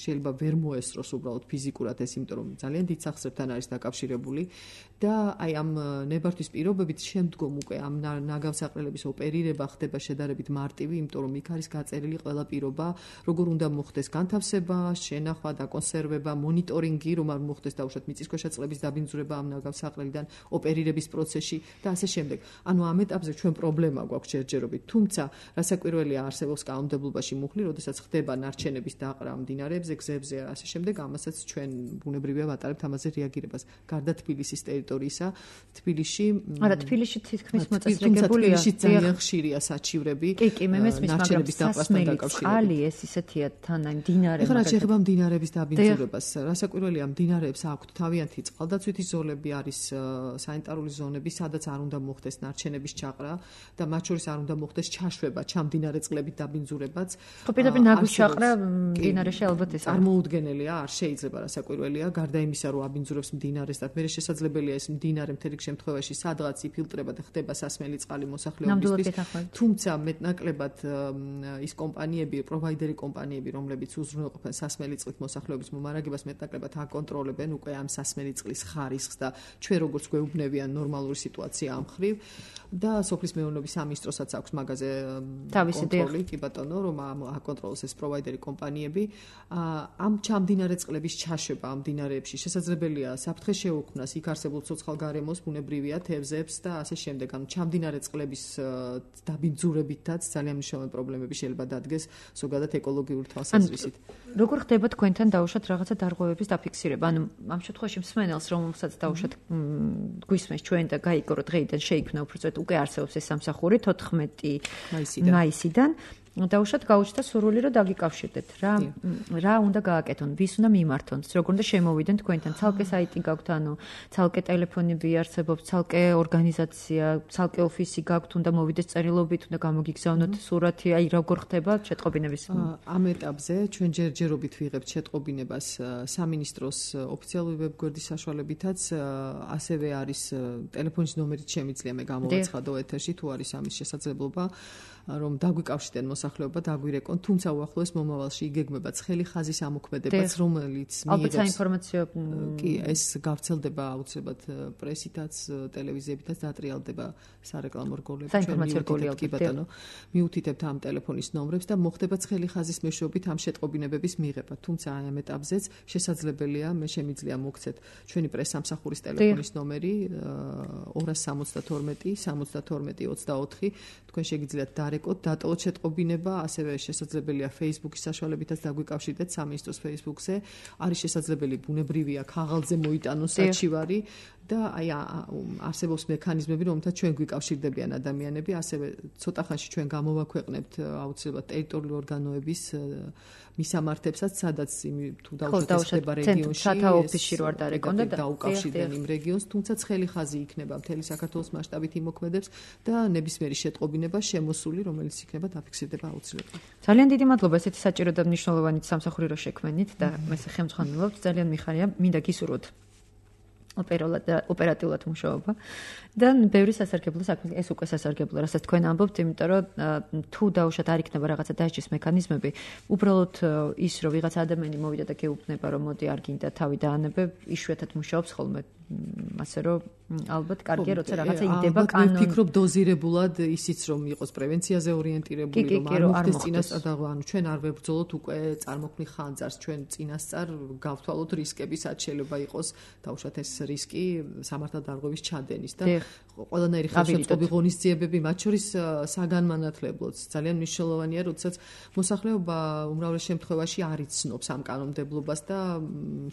შეიძლება ვერ მოესწროს უბრალოდ ფიზიკურად ეს, იმიტომ რომ ძალიან დიდ სახსრებთან არის დაკავშირებული და აი ამ ნებართვის პირობებით შემდგომ უკვე ამ ნაგავსაყრელების ოპერირება ხდება შედარებით მარტივი, იმიტომ რომ იქ არის გაწერილი ყველა პირობა, როგორ უნდა მოხდეს განთავსება, შენახვა, დაკონსერვება, მონიტორინგი, რომ არ მოხდეს დაუშვათ მიწისქვეშა წყლების დაბინძურება ამ ნაგავსაყრელიდან ოპერირების პროცესში და ასე შემდეგ. ანუ ამ ეტაპზე ჩვენ პრობლემა გვაქვს ჯერჯერობით. თუმცა, რასაკვირველია, არსებობს კანონმდებლობაში მუხლი, როდესაც ხდება ნარჩენების დაყრა მდინარეებზე, გზებზე, ასე შემდეგ, ამასაც ჩვენ ბუნებრივია ვატარებთ ამაზე რეაგირებას. გარდა თბილისის ტერიტორიისა, თბილისში არა, თბილისში თითქმის მოწესრიგებულია. ძალიან ხშირია საჩივრები. კი, კი, მე მესმის, მაგრამ სასმელი წყალი ეს ისეთია თან აი მდინარე. ეხლა რაც შეეხება მდინარეების დაბინძურებას, რასაკვირველია, მდინარეებს აქვთ თავიანთი წყალდაცვითი ზოლები, არის სანიტარული ზონები, სადაც არ უნდა მოხდეს ნარჩენების ჩაყრა და მათ შორის არ უნდა მოხდეს ჩაშვება, ჩამდინარე წყლებით დაბინძურებაც. ხო, პირდაპირ ნაგვის ჩაყრა მდინარეში ალბათ ეს წარმოუდგენელია, არ შეიძლება, რასაკვირველია, გარდა იმისა, რომ აბინძურებს მდინარეს და მე შესაძლებელია ეს მდინარე მთელი შემთხვევაში სადღაც იფილტრება და ხდება სასმელი წყალი მოსახლეობისთვის. თუმცა მეტნაკლებად ის კომპანიები, პროვაიდერი კომპანიები, რომლებიც უზრუნველყოფენ სასმელი წყლით მოსახლეობის მომარაგებას, მეტნაკლებად აკონტროლებენ უკვე ამ სასმელი წყლის ხარისხს და ჩვენ როგორც გვეუბნებიან ნორმალური სიტუაცია ამ მხრივ და სოფლის მეურნეობის სამინისტროსაც აქვს მაგაზე კონტროლი, კი ბატონო, რომ აკონტროლოს ეს პროვაიდერი კომპანიები. ამ ჩამდინარე წყლების ჩაშვება ამ მდინარეებში შესაძლებელია საფრთხე შეუქმნას იქ არსებულ ცოცხალ გარემოს, ბუნებრივია, თევზებს და ასე შემდეგ. ანუ ჩამდინარე წყლების დაბინძურებითაც ძალიან მნიშვნელოვანი პრობლემები შეიძლება დადგეს ზოგადად ეკოლოგიური თვალსაზრისით. როგორ ხდება თქვენთან დაუშვათ რაღაცა დარღვევების დაფიქსირება? ანუ ამ შემთხვევაში მსმენელს, რომელსაც დაუშვათ გვისმენს ჩვენ და გაიგო რომ დღეიდან შეიქმნა უბრალოდ უკვე არსებობს ეს სამსახური თოთხმეტი მაისიდან. დაუშვათ გაუჩნდა სურვილი რომ დაგიკავშირდეთ რა რა უნდა გააკეთონ, ვის უნდა მიმართონ, როგორ უნდა შემოვიდენ თქვენთან, ცალკე საიტი გაქვთ, ანუ ცალკე ტელეფონები არსებობს, ცალკე ორგანიზაცია, ცალკე ოფისი გაქვთ, უნდა მოვიდეს წერილობით, უნდა გამოგიგზავნოთ სურათი, აი როგორ ხდება შეტყობინების? ამ ეტაპზე ჩვენ ჯერჯერობით ვიღებთ შეტყობინებას სამინისტროს ოფიციალური ვებგვერდის საშუალებითაც, ასევე არის ტელეფონის ნომერიც შემიძლია მე გამოვაცხადო ეთერში, თუ არის ამის შესაძლებლობა, რომ დაგვიკავშირდნენ მოსახლეობა, დაგვირეკონ, თუმცა უახლოეს მომავალში იგეგმება ცხელი ხაზის ამოქმედებას, რომელიც მიიღებს საინფორმაციო კი, ეს გავრცელდება აუცილებლად პრესითაც, ტელევიზიებითაც დატრიალდება სარეკლამო რგოლები, ჩვენ კი ბატონო, მიუთითებთ ამ ტელეფონის ნომრებს და მოხდება ცხელი ხაზის მეშვეობით ამ შეტყობინებების მიღება. თუმცა აი ამ ეტაპზეც შესაძლებელია, მე შემიძლია მოგცეთ ჩვენი პრესსამსახურის ტელეფონის ნომერი ორას სამოცდათორმეტი სამოცდათორმეტი ოცდაოთხი, თქვენ შეგიძლიათ დარეკოთ, დატოვოთ შეტყობინება, ასევე შესაძლებელია Facebook-ის საშუალებითაც დაგვიკავშირდეთ სამინისტროს Facebook-ზე. არის შესაძლებელი ბუნებრივია ქაღალდზე მოიტანოს საჩივარი და აი არსებობს მექანიზმები, რომელთაც ჩვენ გვიკავშირდებიან ადამიანები, ასევე ცოტა ხანში ჩვენ გამოვაქვეყნებთ აუცილებლად ტერიტორიული ორგანოების მისამართებსაც, სადაც თუ დაუშვათ რეგიონში სათა ოფისში რო არ დარეკონ და დაუკავშირდნენ იმ რეგიონს, თუმცა ცხელი ხაზი იქნება მთელი საქართველოს მასშტაბით იმოქმედებს და ნებისმიერი შეტყობინება შემოსული, რომელიც იქნება დაფიქსირდება აუცილებლად. ძალიან დიდი მადლობა ესეთი საჭირო და მნიშვნელოვანი სამსახური რო შექმნით და მე სახელმძღვანელობთ, ძალიან მიხარია, მინდა გისურვოთ ოპერატიულად მუშაობა და ბევრი სასარგებლო საქმე, ეს უკვე სასარგებლო, რასაც თქვენ ამბობთ, იმიტომ რომ თუ დაუშვათ არ იქნება რაღაცა დასჯის მექანიზმები, უბრალოდ ის რომ ვიღაც ადამიანი მოვიდა და გეუბნება რომ მოდი არ გინდა თავი დაანებე, იშვიათად მუშაობს ხოლმე ასე რომ ალბათ კარგია როცა რაღაცა იდება კანონი. ალბათ ვფიქრობ დოზირებულად ისიც რომ იყოს პრევენციაზე ორიენტირებული, რომ არ მოხდეს წინასწარ და ანუ ჩვენ არ ვებრძოლოთ უკვე წარმოქმნი ხანძარს, ჩვენ წინასწარ გავთვალოთ რისკები, რაც შეიძლება იყოს დაუშვათ ეს რისკი სამართალდარღვევის ჩადენის და ყველანაირი ხელშეწყობი ღონისძიებები, მათ შორის საგანმანათლებლოც ძალიან მნიშვნელოვანია, როდესაც მოსახლეობა უმრავლეს შემთხვევაში არ იცნობს ამ კანონმდებლობას და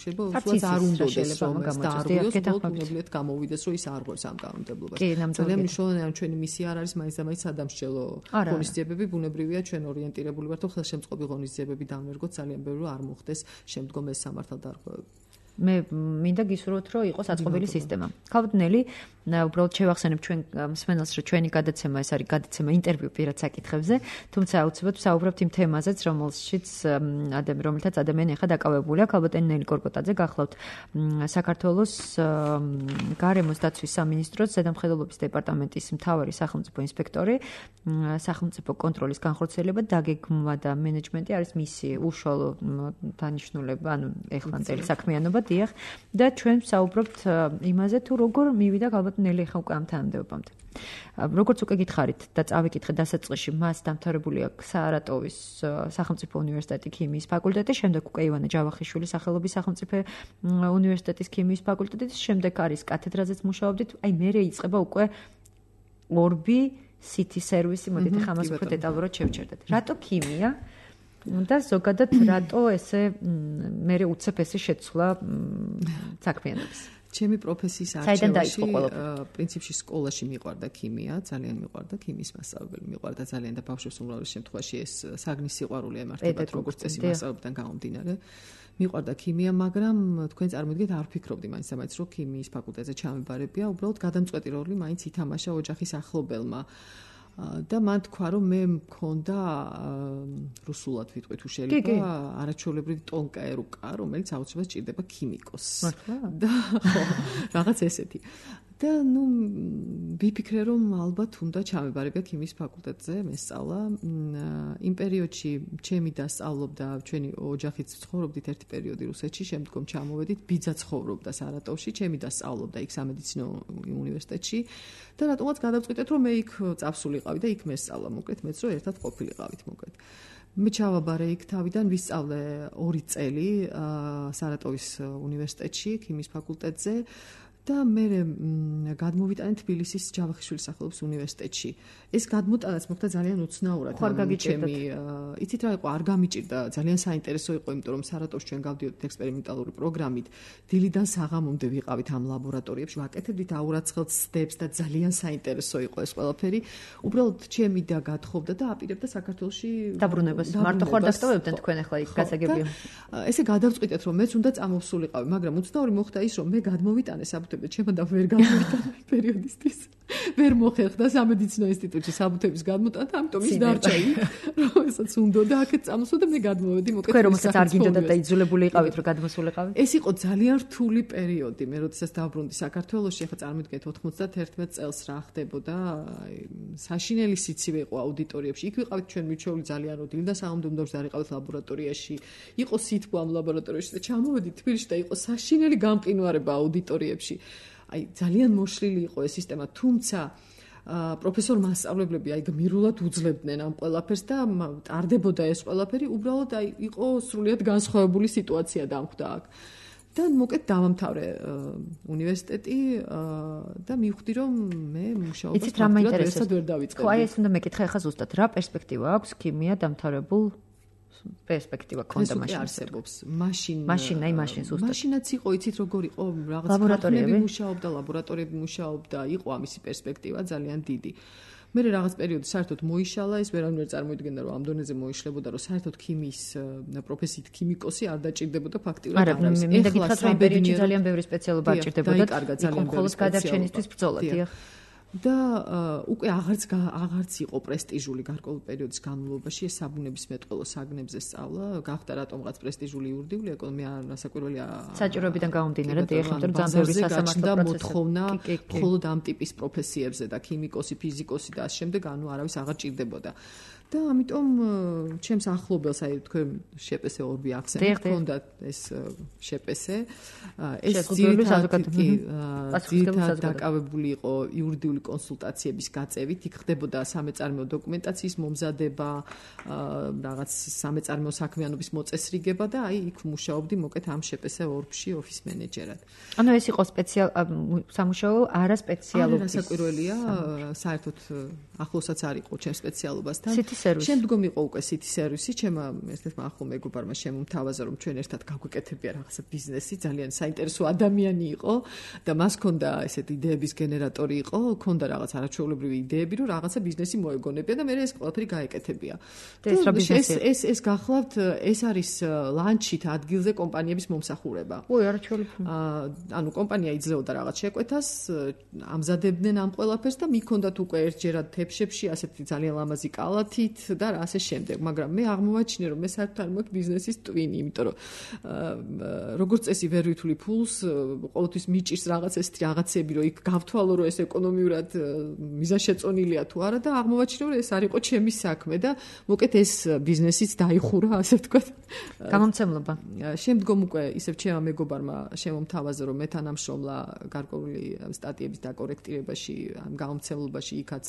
შეიძლება უბრალოდ არ უნდადეს რომ ეს დაარღვიოს, უბრალოდ გამოვიდეს რომ ის არ ღვევს ამ კანონმდებლობას. ძალიან მნიშვნელოვანია, რომ ჩვენი მისია არ არის მაინც და მაინც სადამსჯელო ღონისძიებები, ბუნებრივია ჩვენ ორიენტირებული ვართ, რომ ხელშემწყობი ღონისძიებები დამვერგოთ ძალიან ბევრი რომ არ მოხდეს შემდგომ ეს სამართალდარღვევები. მე მინდა გისურვოთ, რომ იყოს აწყობილი სისტემა. ქალბატონ ნელი, უბრალოდ შევახსენებ ჩვენ მსმენელს, რომ ჩვენი გადაცემა ეს არის გადაცემა ინტერვიუ პირად საკითხებზე, თუმცა აუცილებლად ვსაუბრობთ იმ თემაზეც, რომელშიც ადამიანი, რომელთაც ადამიანი ახლა დაკავებულია. ქალბატონ ნელი კორკოტაძე გახლავთ საქართველოს გარემოს დაცვის სამინისტროს ზედამხედველობის დეპარტამენტის მთავარი სახელმწიფო ინსპექტორი, სახელმწიფო კონტროლის განხორციელება, დაგეგმვა და მენეჯმენტი არის მისი უშუალო დანიშნულება, ანუ ეხლანდელი საქმიანობა დიახ და ჩვენ ვსაუბრობთ იმაზე თუ როგორ მივიდა ქალბატონ ნელი ხა უკვე ამ თანამდებობამდე. როგორც უკვე გითხარით და წავიკითხე დასაწყისში, მას დამთავრებული აქვს საარატოვის სახელმწიფო უნივერსიტეტი ქიმიის ფაკულტეტი, შემდეგ უკვე ივანე ჯავახიშვილის სახელობის სახელმწიფო უნივერსიტეტის ქიმიის ფაკულტეტი, შემდეგ არის კათედრაზეც მუშაობდით, აი მერე იწყება უკვე ორბი სიტი სერვისი, მოდით ახლა ამას უფრო დეტალურად შევჩერდეთ. რატო ქიმია? და ზოგადად რატო ესე მერე უცებ ესე შეცვლა საქმიანობის? ჩემი პროფესიის არჩევაში პრინციპში სკოლაში მიყვარდა ქიმია, ძალიან მიყვარდა ქიმიის მასწავლებელი, მიყვარდა ძალიან და ბავშვებს უმრავლეს შემთხვევაში ეს საგნის სიყვარული ემართებათ როგორც წესი მასწავლებიდან გამომდინარე. მიყვარდა ქიმია, მაგრამ თქვენ წარმოიდგინეთ არ ვფიქრობდი მაინც და მაინც რომ ქიმიის ფაკულტეტზე ჩამებარებია, უბრალოდ გადამწყვეტი როლი მაინც ითამაშა ოჯახის ახლობელმა. და მან თქვა რომ მე მქონდა რუსულად ვიტყვი თუ შეიძლება არაჩვეულებრივი ტონკა ერუკა, რომელიც აუცილებლად ჭირდება ქიმიკოსს. და ხო, რაღაც ესეთი. და ნუ ვიფიქრე რომ ალბათ უნდა ჩამებარებია ქიმიის ფაკულტეტზე მესწავლა. იმ პერიოდში ჩემი დასწავლობდა, ჩვენი ოჯახიც ცხოვრობდით ერთი პერიოდი რუსეთში, შემდგომ ჩამოვედით, ბიძა ცხოვრობდა სარატოვში, ჩემი დასწავლობდა იქ სამედიცინო უნივერსიტეტში და რატომაც გადავწყვიტეთ რომ მე იქ წავსულიყავი და იქ მესწავლა, მოკლედ მეც რომ ერთად ყოფილიყავით, მოკლედ. მე ჩავაბარე იქ თავიდან ვისწავლე ორი წელი სარატოვის უნივერსიტეტში, ქიმიის ფაკულტეტზე. და მე გადმოვიტანე თბილისის ჯავახიშვილის სახელობის უნივერსიტეტში. ეს გადმოტანაც მოხდა ძალიან უცნაურად. ჩემი იცით რა იყო, არ გამიჭირდა, ძალიან საინტერესო იყო, იმიტომ რომ სარატოვში ჩვენ გავდიოდით ექსპერიმენტალური პროგრამით, დილიდან საღამომდე ვიყავით ამ ლაბორატორიებში, ვაკეთებდით აურაცხელ ცდებს და ძალიან საინტერესო იყო ეს ყველაფერი. უბრალოდ ჩემი და გათხოვდა და აპირებდა საქართველოში დაბრუნებას. მარტო ხარ დასტოვებდნენ თქვენ ახლა იქ გასაგებია. ესე გადავწყვიტეთ რომ მეც უნდა წამოვსულიყავი, მაგრამ უცნაური მოხდა ის რომ მე გადმოვიტანე ჩემო და ვერ გამოვიტანე პერიოდისთვის. ვერ მოხერხდა სამედიცინო ინსტიტუტში საბუთების გადმოტანა, ამიტომ ის დარჩა იქ, რომ ესაც უნდოდა აქეთ წამოსვა და მე გადმოვედი, მოკეთე. თქვენ რომელსაც არ გინდოდა და იძულებული იყავით რომ გადმოსულიყავით? ეს იყო ძალიან რთული პერიოდი. მე როდესაც დავბრუნდი საქართველოში, ახლა წარმოიდგინეთ ოთხმოცდაათი წელს რა ხდებოდა, საშინელი სიცივე იყო აუდიტორიებში. იქ ვიყავით ჩვენ მიჩვეული ძალიან რომ დილიდან საღამომდე უნდა ვიყავით ლაბორატორიაში. იყო სითბო ამ ლაბორატორიაში და ჩამოვედი თბილისში და იყო საშინელი გამყინვარება აუდიტორიებში. აი ძალიან მოშლილი იყო ეს სისტემა, თუმცა პროფესორ მასწავლებლები აი გმირულად უძლებდნენ ამ ყველაფერს და ტარდებოდა ეს ყველაფერი, უბრალოდ აი იყო სრულიად განსხვავებული სიტუაცია დამხვდა აქ. და მოკეთ დავამთავრე უნივერსიტეტი და მივხვდი რომ მე მუშაობას ერთად ვერ დავიწყებდი. ხო, აი ეს უნდა მეკითხა ახლა ზუსტად რა პერსპექტივა აქვს ქიმია დამთავრებულ პერსპექტივა ქონდა მაშინ არსებობს. მაშინ მაშინ აი მაშინ ზუსტად. მაშინაც იყო, იცით როგორ იყო, რაღაც ლაბორატორიები მუშაობდა, ლაბორატორიები მუშაობდა, იყო ამისი პერსპექტივა ძალიან დიდი. მე რაღაც პერიოდი საერთოდ მოიშალა, ეს ვერავინ ვერ წარმოიდგენდა რომ ამ დონეზე მოიშლებოდა, რომ საერთოდ ქიმიის პროფესიით ქიმიკოსი არ დაჭირდებოდა ფაქტიურად არ არის. მინდა გითხრათ რომ ამ პერიოდში ძალიან ბევრი სპეციალობა არ ჭირდებოდა. იქ მხოლოდ გადარჩენისთვის ბრძოლა, დიახ. და უკვე აღარც აღარც იყო პრესტიჟული გარკვეული პერიოდის განმავლობაში ეს საბუნებისმეტყველო საგნებზე სწავლა, გახდა რატომღაც პრესტიჟული იურიდიული ეკონომია, მე არასაკვირველია საჭიროებიდან გამომდინარე, დიახ, მაგრამ ძალიან ბევრი სასამართლო პროცესი მოთხოვნა მხოლოდ ამ ტიპის პროფესიებზე და ქიმიკოსი, ფიზიკოსი და ამ შემდეგ, ანუ არავის აღარ ჭირდებოდა. და ამიტომ ჩემს ახლობელს აი თქვენ შეპესე ორბი აქცენტი ჰქონდა ეს შეპესე ეს ძირითადად დაკავებული იყო იურიდიული კონსულტაციების გაწევით, იქ ხდებოდა სამეწარმეო დოკუმენტაციის მომზადება, რაღაც სამეწარმეო საქმიანობის მოწესრიგება და აი იქ მუშაობდი მოკეთ ამ შეპესე ორბში ოფის მენეჯერად. ანუ ეს იყო სპეციალ სამუშაო არა სპეციალური. არასაკვირველია, საერთოდ ახლოსაც არ იყო ჩემ სპეციალობასთან. შემდგომ იყო უკვე City Service-ი, ჩემმა ერთ-ერთმა ახლო მეგობარმა შემომთავაზა, რომ ჩვენ ერთად გავგვეკეთებია რაღაცა ბიზნესი, ძალიან საინტერესო ადამიანი იყო და მას ჰქონდა ესეთი იდეების გენერატორი იყო, ჰქონდა რაღაც არაჩვეულებრივი იდეები, რომ რაღაცა ბიზნესი მოეგონებია და მე ეს ყველაფერი გაეკეთებია. ეს ეს ეს გახლავთ, ეს არის ლანჩით ადგილზე კომპანიების მომსახურება. ой, არაჩვეულებრივი. ანუ კომპანია იძლეოდა რაღაც შეკვეთას, ამზადებდნენ ამ ყველაფერს და მიქონდათ უკვე ერთჯერად თეფშებში ასეთი ძალიან ლამაზი კალათით და ასე შემდეგ, მაგრამ მე აღმოვაჩინე, რომ მე საერთოდ არ მაქვს ბიზნესის ტვინი, იმიტომ რომ როგორც წესი ვერ ვითვლი ფულს, ყოველთვის მიჭირს რაღაც ესეთი რაღაცები, რომ იქ გავთვალო, რომ ეს ეკონომიურად მიზანშეწონილია თუ არა და აღმოვაჩინე, რომ ეს არ იყო ჩემი საქმე და მოკეთ ეს ბიზნესიც დაიხურა, ასე ვთქვათ. გამომცემლობა. შემდგომ უკვე ისევ ჩემმა მეგობარმა შემომთავაზა, რომ მე თანამშრომლა გარკვეული სტატიების დაკორექტირებაში, ამ გამომცემლობაში იქაც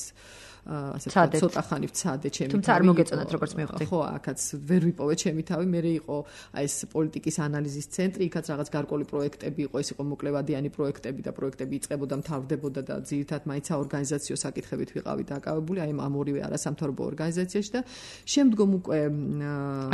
ასე ვთქვათ, ცოტა ხანი ვცადე ჩემი. თუმცა არ მოგეწონათ როგორც მივხვდი. ხო, აქაც ვერ ვიპოვე ჩემი თავი, მე იყო აი ეს პოლიტიკის ანალიზის ცენტრი, იქაც რაღაც გარკვეული პროექტები იყო, ეს იყო მოკლევადიანი პროექტები და პროექტები იწყებოდა, მთავრდებოდა და ძირითადად მაინც საორგანიზაციო საკითხებით ვიყავი დაკავებული, აი ამ ორივე არასამთავრობო ორგანიზაციაში და შემდგომ უკვე